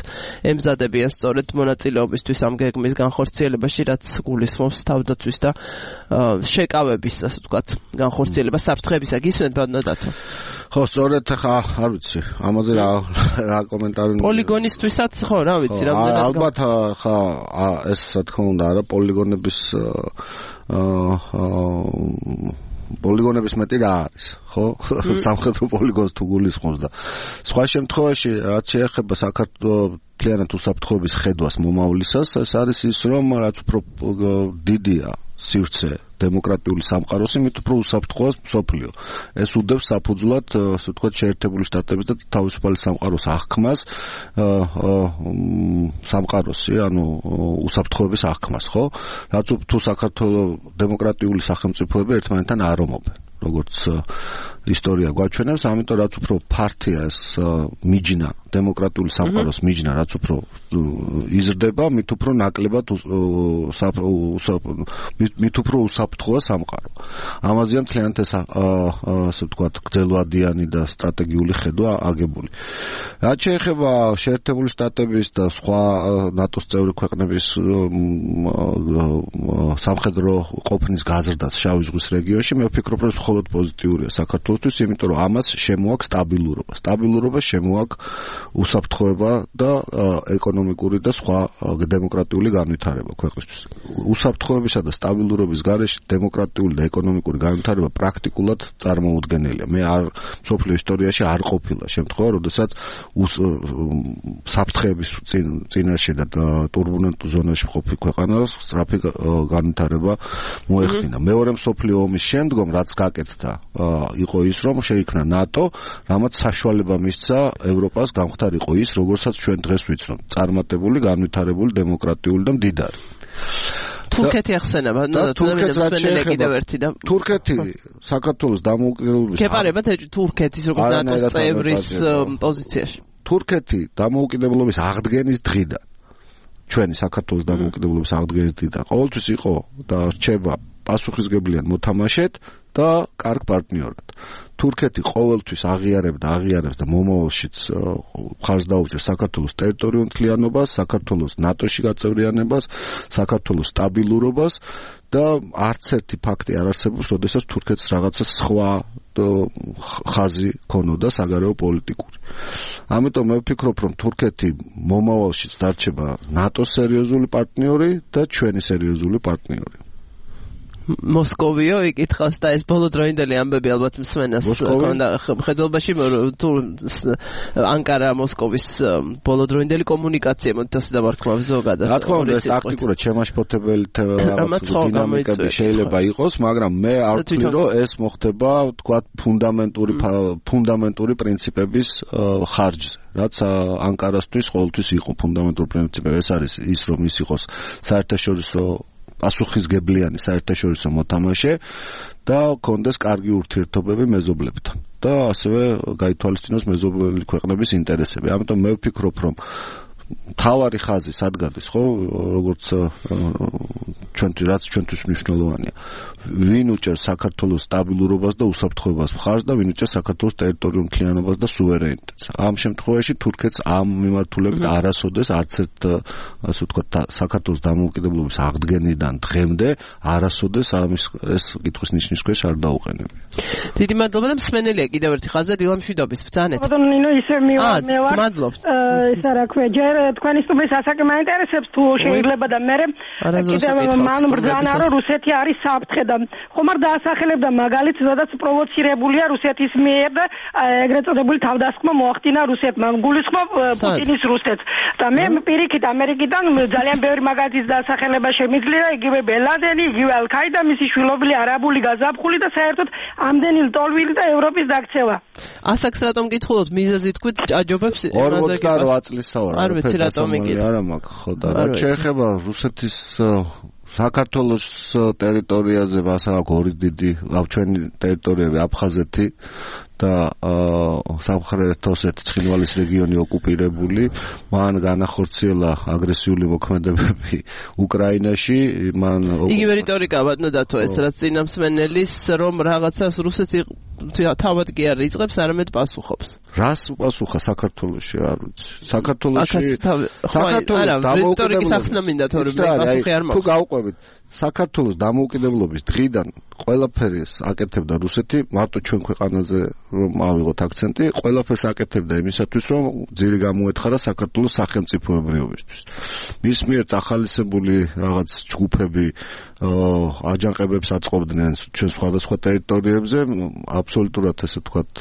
ემზადებიან სწორედ მონაწილეობისთვის ამ გეგმის განხორციელებაში, რაც გულისხმობს თავდაცვის და შეკავების, ასე ვთქვათ, განხორციელება საფრთხებისა. გისმენთ ბატონო? ხო, სწორედ ხა, არ ვიცი, ამაზე რა რა კომენტარი პოლიგონისთვისაც ხო, რა ვიცი, რამდენად ალბათ ხა ეს რა თქმა უნდა არა პოლიგონების პოლიგონების მეტი რა არის, ხო? სამხედრო პოლიგონს თუ გულისხმობს და სხვა შემთხვევაში რაც შეეხება საქართველოს მთლიანად უსაფრთხოების ხედვას მომავლისას, ეს არის ის, რომ რაც უფრო დიდია სივრცე დემოკრატიული სამყაროს, იმით უფრო უსაფრთხოა მსოფლიო. ეს უდევს საფუძვლად, ასე ვთქვათ, შეერთებული შტატების და თავისუფალი სამყაროს აღქმას, სამყაროსი, ანუ უსაფრთხოების აღქმას, ხო? რაც თუ საქართველოს დემოკრატიული სახელმწიფოები ერთმანეთთან არ ომობენ, როგორც ისტორია გვაჩვენებს, ამიტომ რაც უფრო ფართია ეს მიჯნა, დემოკრატიული სამყაროს მიჯნა, რაც უფრო იზრდება, მით უფრო ნაკლებად მით უფრო უსაფრთხოა სამყარო. ამაზეა მთლიანად ეს ასე ვთქვათ, გრძელვადიანი და სტრატეგიული ხედვა აგებული. რაც შეეხება შეერთებული შტატების და სხვა ნატოს წევრი ქვეყნების სამხედრო ყოფნის გაზრდას შავი ზღვის რეგიონში, მე ვფიქრობ, რომ მხოლოდ პოზიტიურია საქართველოსთვის, იმიტომ რომ ამას შემოაქვს სტაბილურობა. სტაბილურობა შემოაქვს უსაფრთხოება და ეკონომიკური და სხვა დემოკრატიული განვითარება ქვეყნისთვის. უსაფრთხოებისა და სტაბილურობის გარეშე დემოკრატიული და ეკონომიკური განვითარება პრაქტიკულად წარმოუდგენელია. მე არ მსოფლიო ისტორიაში არ ყოფილა შემთხვევა, როდესაც საფრთხეების წინაშე და ტურბულენტულ ზონაში ყოფილი ქვეყანას სწრაფი განვითარება მოეხდინა. მეორე მსოფლიო ომის შემდგომ რაც გაკეთდა, იყო ის, რომ შეიქმნა ნატო, რამაც საშუალება მისცა ევროპას გამختარიყო ის, როგორცაც ჩვენ დღეს ვიცნობ, წარმატებული, განვითარებული, დემოკრატიული და მდიდარი. თურქეთი ახსენება, ნუ თურქეთი კიდევ ერთი და თურქეთი საქართველოს დამოუკიდებლობის გეპარებათ თურქეთის როგორც ნატოს წევრის პოზიციაში. თურქეთი დამოუკიდებლობის აღდგენის დღიდან, ჩვენი საქართველოს დამოუკიდებლობის აღდგენის დღიდან ყოველთვის იყო და რჩება პასუხისგებლიან მოთამაშედ და კარგ პარტნიორად. თურქეთი ყოველთვის აღიარებდა, აღიარებს და მომავალშიც მხარს დაუჭერს საქართველოს ტერიტორიულ მთლიანობას, საქართველოს ნატოში გაწევრიანებას, საქართველოს სტაბილურობას და არც ერთი ფაქტი არ არსებობს, როდესაც თურქეთს რაღაცა სხვა ხაზი ქონოდა საგარეო პოლიტიკური. ამიტომ მე ვფიქრობ, რომ თურქეთი მომავალშიც დარჩება ნატოს სერიოზული პარტნიორი და ჩვენი სერიოზული პარტნიორი. მოსკოვიო იკითხავს და ეს ბოლოდროინდელი ამბები ალბათ მსმენელს ქონდა ხედულობაში, თუ ანკარა მოსკოვის ბოლოდროინდელი კომუნიკაცია მოდი ასე დავარქმევ ზოგადად. რა თქმა უნდა, ეს ტაქტიკურად შემაშფოთებელი დინამიკები შეიძლება იყოს, მაგრამ მე არ ვთვლი, რომ ეს მოხდება, თქვათ, ფუნდამენტური ფუნდამენტური პრინციპების ხარჯზე. რაც ანკარასთვის ყოველთვის იყო ფუნდამენტური პრინციპები, ეს არის ის, რომ ის იყოს საერთაშორისო პასუხისგებლიანი საერთაშორისო მოთამაშე და კონდეს კარგი ურთიერთობები მეზობლებთან და ასევე გაითვალისწინოს მეზობელი ქვეყნების ინტერესები. ამიტომ მე ვფიქრობ, რომ თავარი ხაზი სადგადის, ხო, როგორც ჩვენთვის რაც ჩვენთვის მნიშვნელოვანია. ვინ უჭერს საქართველოს სტაბილურობას და უსაფრთხოებას მხარს და ვინ უჭერს საქართველოს ტერიტორიულ მთლიანობას და სუვერენიტეტს. ამ შემთხვევაში თურქეთს ამ მიმართულებით არასოდეს არც ერთ, ასე ვთქვათ, საქართველოს დამოუკიდებლობის აღდგენიდან დღემდე არასოდეს ამის ეს კითხვის ნიშნის ქვეშ არ დაუყენებია. დიდი მადლობა და მსმენელია კიდევ ერთი ხაზი დილამშვიდობის ბრძანეთ. ბატონო ნინო, ისე მივარ მევარ. მადლობთ. ეს რა ქვია, ჯერ თქვენი სტუმრის ასაკი მაინტერესებს თუ შეიძლება და მე კიდევ მან ბრძანა რომ რუსეთი არის საფრთხე და ხომ არ დაასახელებდა მაგალითს, სადაც პროვოცირებულია რუსეთის მიერ და ეგრეთ წოდებული თავდასხმა მოახდინა რუსეთმა. გულისხმობ პუტინის რუსეთს. და მე პირიქით ამერიკიდან ძალიან ბევრი მაგალითის დაასახელება შემიძლია, იგივე ბენ-ლადენი, იგივე ალ-ქაიდა, მისი შვილობილი არაბული გაზაფხული და საერთოდ ამდენი ლტოლვილი და ევროპის დაქცევა. ასაკს რატომ გითხულობთ? მიზეზი თქვით აჯობებს ორმოცდაოთხ წლის საუბარი. არ ვიცი რატომ იგივე. არა მაქვს ხო და რაც შეეხება რუსეთის საქართველოს ტერიტორიაზე მასალა ორი დიდი ჩვენი ტერიტორიები აფხაზეთი და სამხრეთ ოსეთის ცხინვალის რეგიონი ოკუპირებული, მან განახორციელა აგრესიული მოქმედებები უკრაინაში, მან იგივე რიტორიკა ბატონო დათო ეს რაც წინამსმენელის რომ რაღაცას რუსეთი თავად კი არ იწყებს, არამედ პასუხობს. რას უპასუხა საქართველოში არ ვიცი. საქართველოში საქართველოს რიტორიკის ახსნა მინდა თორე პასუხი არ მაქვს. თუ გავყვებით საქართველოს დამოუკიდებლობის დღიდან ყველაფერი აკეთებდა რუსეთი, მარტო ჩვენ ქვეყანაზე რომ ავიღოთ აქცენტი, ყველაფერს აკეთებდა იმისათვის, რომ ძირი გამოეთხარა საქართველოს სახელმწიფოებრიობისთვის. მის მიერ წახალისებული რაღაც ჯგუფები აჯანყებებს აწყობდნენ ჩვენ სხვადასხვა ტერიტორიებზე, აბსოლუტურად ესე ვთქვათ,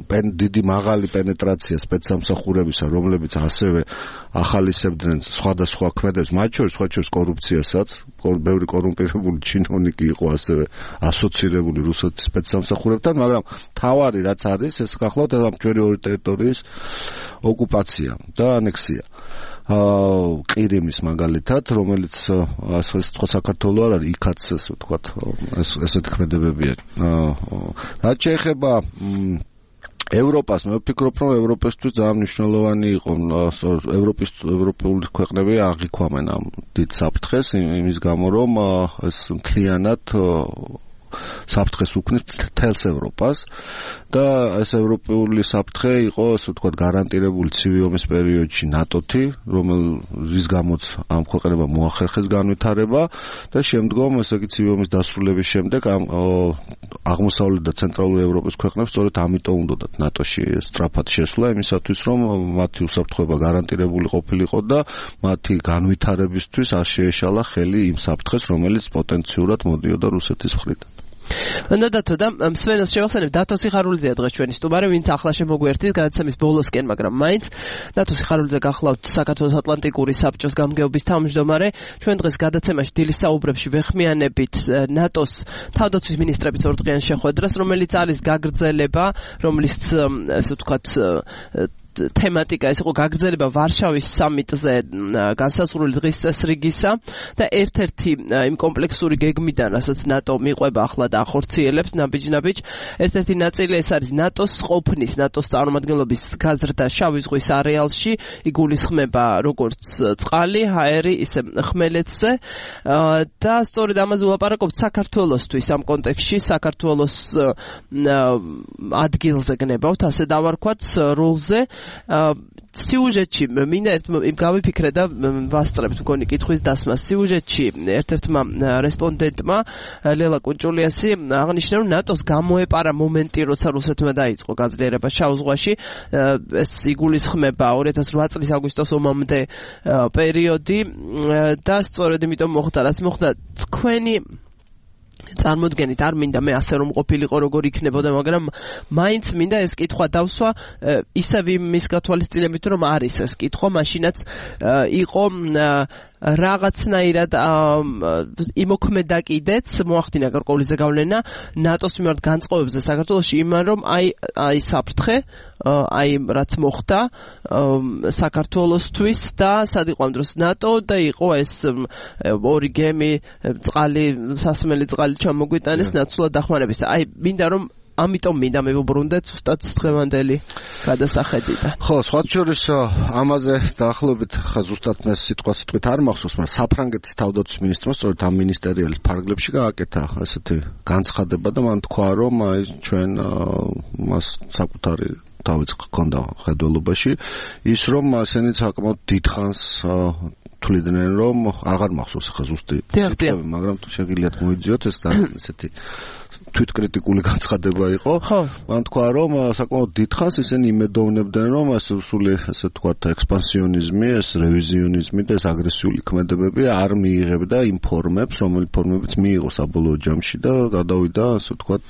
დიდი მაღალი პენეტრაცია სპეცსამსახურებისა, რომლებიც ასევე ახალისებდნენ სხვადასხვა ქმედებს, მათ შორის სხვა შორის კორუფციასაც, ბევრი კორუმპირებული ჩინოვნიკი იყო ასევე ასოცირებული რუსეთის სპეცსამსახურებთან, მაგრამ თავარი რაც არის, ეს გახლავთ ამ ჩვენი ორი ტერიტორიის ოკუპაცია და ანექსია. ყირიმის მაგალითად, რომელიც ასე სხვა საქართველოს არ არის, იქაც ასე ვთქვათ, ეს ესეთი ქმედებებია. რაც შეეხება ევროპას, მე ვფიქრობ, რომ ევროპისთვის ძალიან მნიშვნელოვანი იყო ევროპის ევროპული ქვეყნები აღიქვამენ ამ დიდ საფრთხეს იმის გამო, რომ ეს მთლიანად საფრთხეს უქმნის მთელს ევროპას და ეს ევროპული საფრთხე იყო, ასე ვთქვათ, გარანტირებული ცივი ომის პერიოდში ნატოთი, რომელის გამოც ამ ქვეყნებამ მოახერხეს განვითარება და შემდგომ, ესე იგი, ცივი ომის დასრულების შემდეგ ამ აღმოსავლეთ და ცენტრალური ევროპის ქვეყნებს სწორედ ამიტომ უნდათ ნატოში სწრაფად შესვლა, იმისათვის, რომ მათი უსაფრთხოება გარანტირებული ყოფილიყო და მათი განვითარებისთვის არ შეეშალა ხელი იმ საფრთხეს, რომელიც პოტენციურად მოდიოდა რუსეთის მხრიდან. და დათო და მსმენელს შევახსენებ, დათო სიხარულიძეა დღეს ჩვენი სტუმარი, ვინც ახლა შემოგვერთით გადაცემის ბოლოსკენ, მაგრამ მაინც დათო სიხარულიძე გახლავთ საქართველოს ატლანტიკური საბჭოს გამგეობის თავმჯდომარე. ჩვენ დღეს გადაცემაში დილის საუბრებში ვეხმიანებით ნატოს თავდაცვის მინისტრების ორდღიან შეხვედრას, რომელიც არის გაგრძელება, რომლის ასე ვთქვათ თემატიკა ეს იყო გაგრძელება ვარშავის სამიტზე განსაზღვრული დღის წესრიგისა და ერთ-ერთი იმ კომპლექსური გეგმიდან, რასაც ნატო მიყვება ახლა და ახორციელებს ნაბიჯ-ნაბიჯ, ერთ-ერთი ნაწილი ეს არის ნატოს ყოფნის, ნატოს წარმომადგენლობის გაზრდა შავი ზღვის არეალში, იგულისხმება როგორც წყალი, ჰაერი, ისე ხმელეთზე და სწორედ ამაზე ვლაპარაკობთ საქართველოსთვის ამ კონტექსტში, საქართველოს ადგილზე გნებავთ, ასე დავარქვათ, როლზე. სიუჟეტში მინდა იმ გავიფიქრე და ვასწრებთ მგონი კითხვის დასმას. სიუჟეტში ერთ-ერთმა რესპონდენტმა ლელა კუნჭულიასი აღნიშნა, რომ ნატოს გამოეპარა მომენტი, როცა რუსეთმა დაიწყო გაძლიერება შავ ზღვაში. ეს იგულისხმება ორი ათას ოთხ წლის აგვისტოს ომამდე პერიოდი და სწორედ იმიტომ მოხდა, რაც მოხდა. თქვენი წარმოდგენით არ მინდა მე ასე რომ ყოფილიყო როგორ იქნებოდა, მაგრამ მაინც მინდა ეს კითხვა დავსვა ისევ იმის გათვალისწინებით, რომ არის ეს კითხვა, მაშინაც იყო რაღაცნაირად იმოქმედა კიდეც მოახდინა გარკვეული ზეგავლენა ნატოს მიმართ განწყობებზე საქართველოში, იმან რომ აი აი საფრთხე, აი რაც მოხდა საქართველოსთვის და სად იყო ამ დროს ნატო და იყო ეს ორი გემი წყალი, სასმელი წყალი ჩამოგვიტანეს ნაცვლად დახმარების. აი მინდა რომ ამიტომ მინდა მივუბრუნდეთ ზუსტად დღევანდელი გადასახედიდან. ხო, სხვა შორის ამაზე დაახლოებით ხა ზუსტად მე სიტყვა სიტყვით არ მახსოვს, მაგრამ საფრანგეთის თავდაცვის მინისტრმა სწორედ ამ მინისტერიალის ფარგლებში გააკეთა ესეთი განცხადება და მან თქვა, რომ აი ჩვენ მას საკუთარი თავიც ჰქონდა ხედველობაში ის, რომ ასენი საკმაოდ დიდხანს თვლიდნენ, რომ აღარ მახსოვს ხა ზუსტი სიტყვები, მაგრამ თუ შეგიძლიათ მოიძიოთ ეს და ესეთი თვითკრიტიკული განცხადება იყო. მან თქვა, რომ საკმაოდ დიდხანს ისინი იმედოვნებდნენ, რომ ეს სული ესე ვთქვათ ექსპანსიონიზმი, ეს რევიზიონიზმი და ეს აგრესიული ქმედებები არ მიიღებდა იმ ფორმებს, რომელიც ფორმებიც მიიღო საბოლოო ჯამში და გადავიდა ასე ვთქვათ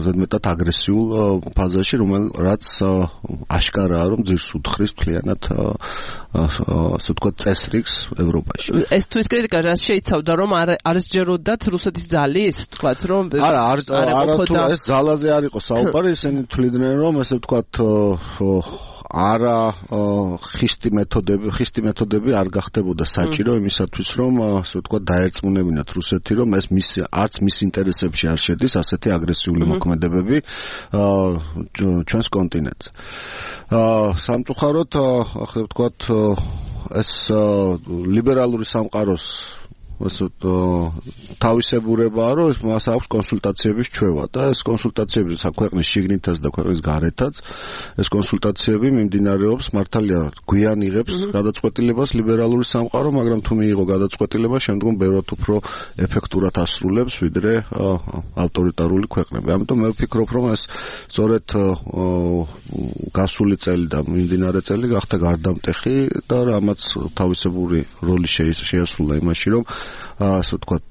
ზედმეტად აგრესიულ ფაზაში, რომელიც აშკარაა, რომ ძირს უთხრის მთლიანად ასე ვთქვათ წესრიგს ევროპაში. ეს თვითკრიტიკა რაც შეიცავდა, რომ არ სჯეროდათ რუსეთის ძალის, ვთქვათ, რომ არა, არა თუ ეს ძალაზე არ იყო საუბარი, ისინი თვლიდნენ, რომ ესე ვთქვათ არა ხისტი მეთოდები, ხისტი მეთოდები არ გახდებოდა საჭირო იმისათვის, რომ ასე ვთქვათ, დაერწმუნებინათ რუსეთი, რომ ეს მის არც მის ინტერესებში არ შედის ასეთი აგრესიული მოქმედებები ჩვენს კონტინენტზე. სამწუხაროდ, ასე ვთქვათ, ეს ლიბერალური სამყაროს ასე თავისებურებაა, რომ მას აქვს კონსულტაციების ჩვევა და ეს კონსულტაციები საქვეყნის შიგნითაც და ქვეყნის გარეთაც ეს კონსულტაციები მიმდინარეობს მართალია გვიან იღებს გადაწყვეტილებას ლიბერალური სამყარო, მაგრამ თუ მიიღო გადაწყვეტილება, შემდგომ ბევრად უფრო ეფექტურად ასრულებს ვიდრე ავტორიტარული ქვეყნები. ამიტომ მე ვფიქრობ, რომ ეს სწორედ გასული წელი და მიმდინარე წელი გახდა გარდამტეხი და რამაც თავისებური როლი შეასრულა იმაში, რომ ასე ვთქვათ,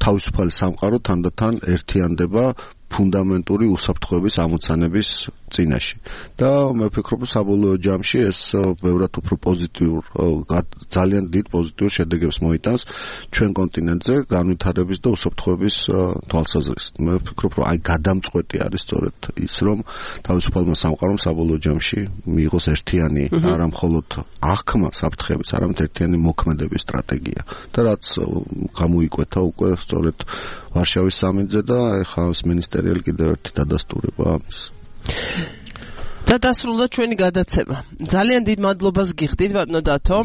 თავისუფალი სამყარო თანდათან ერთიანდება ფუნდამენტური უსაფრთხოების ამოცანების წინაშე. და მე ვფიქრობ, საბოლოო ჯამში ეს ბევრად უფრო პოზიტიურ, ძალიან დიდ პოზიტიურ შედეგებს მოიტანს ჩვენ კონტინენტზე განვითარების და უსაფრთხოების თვალსაზრისით. მე ვფიქრობ, რომ აი გადამწყვეტი არის სწორედ ის, რომ თავისუფალმა სამყარომ საბოლოო ჯამში მიიღოს ერთიანი, არა მხოლოდ აღქმა საფრთხების, არამედ ერთიანი მოქმედების სტრატეგია. და რაც გამოიკვეთა უკვე სწორედ ვარშავის სამიტზე და ეხლა ეს მინისტერიალი კიდევ ერთი დადასტურება ამის. და დასრულდა ჩვენი გადაცემა. ძალიან დიდ მადლობას გიხდით ბატონო დათო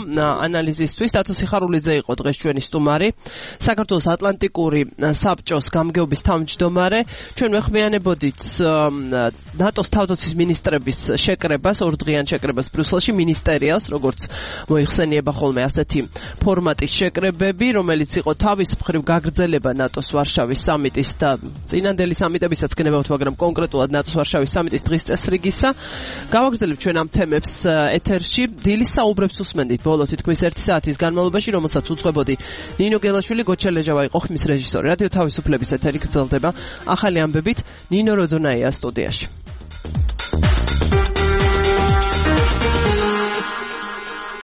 ანალიზისთვის. დათო სიხარულიძე იყო დღეს ჩვენი სტუმარი, საქართველოს ატლანტიკური საბჭოს გამგეობის თავმჯდომარე. ჩვენ ვეხმიანებოდით ნატოს თავდაცვის მინისტრების შეკრებას, ორდღიან შეკრებას ბრიუსელში, მინისტერიალს, როგორც მოიხსენიება ხოლმე ასეთი ფორმატის შეკრებები, რომელიც იყო თავის მხრივ გაგრძელება ნატოს ვარშავის სამიტის და წინანდელი სამიტებისაც გნებავთ, მაგრამ კონკრეტულად ნატოს ვარშავის სამიტის დღის წესრიგისა. გავაგრძელებთ ჩვენ ამ თემებს ეთერში. დილის საუბრებს უსმენდით ბოლო თითქმის ერთი საათის განმავლობაში, რომელსაც უძღვებოდი ნინო გელაშვილი, გოჩელეჟავა იყო ხმის რეჟისორი. რადიო თავისუფლების ეთერი გრძელდება ახალი ამბებით. ნინო როდონაია სტუდიაში.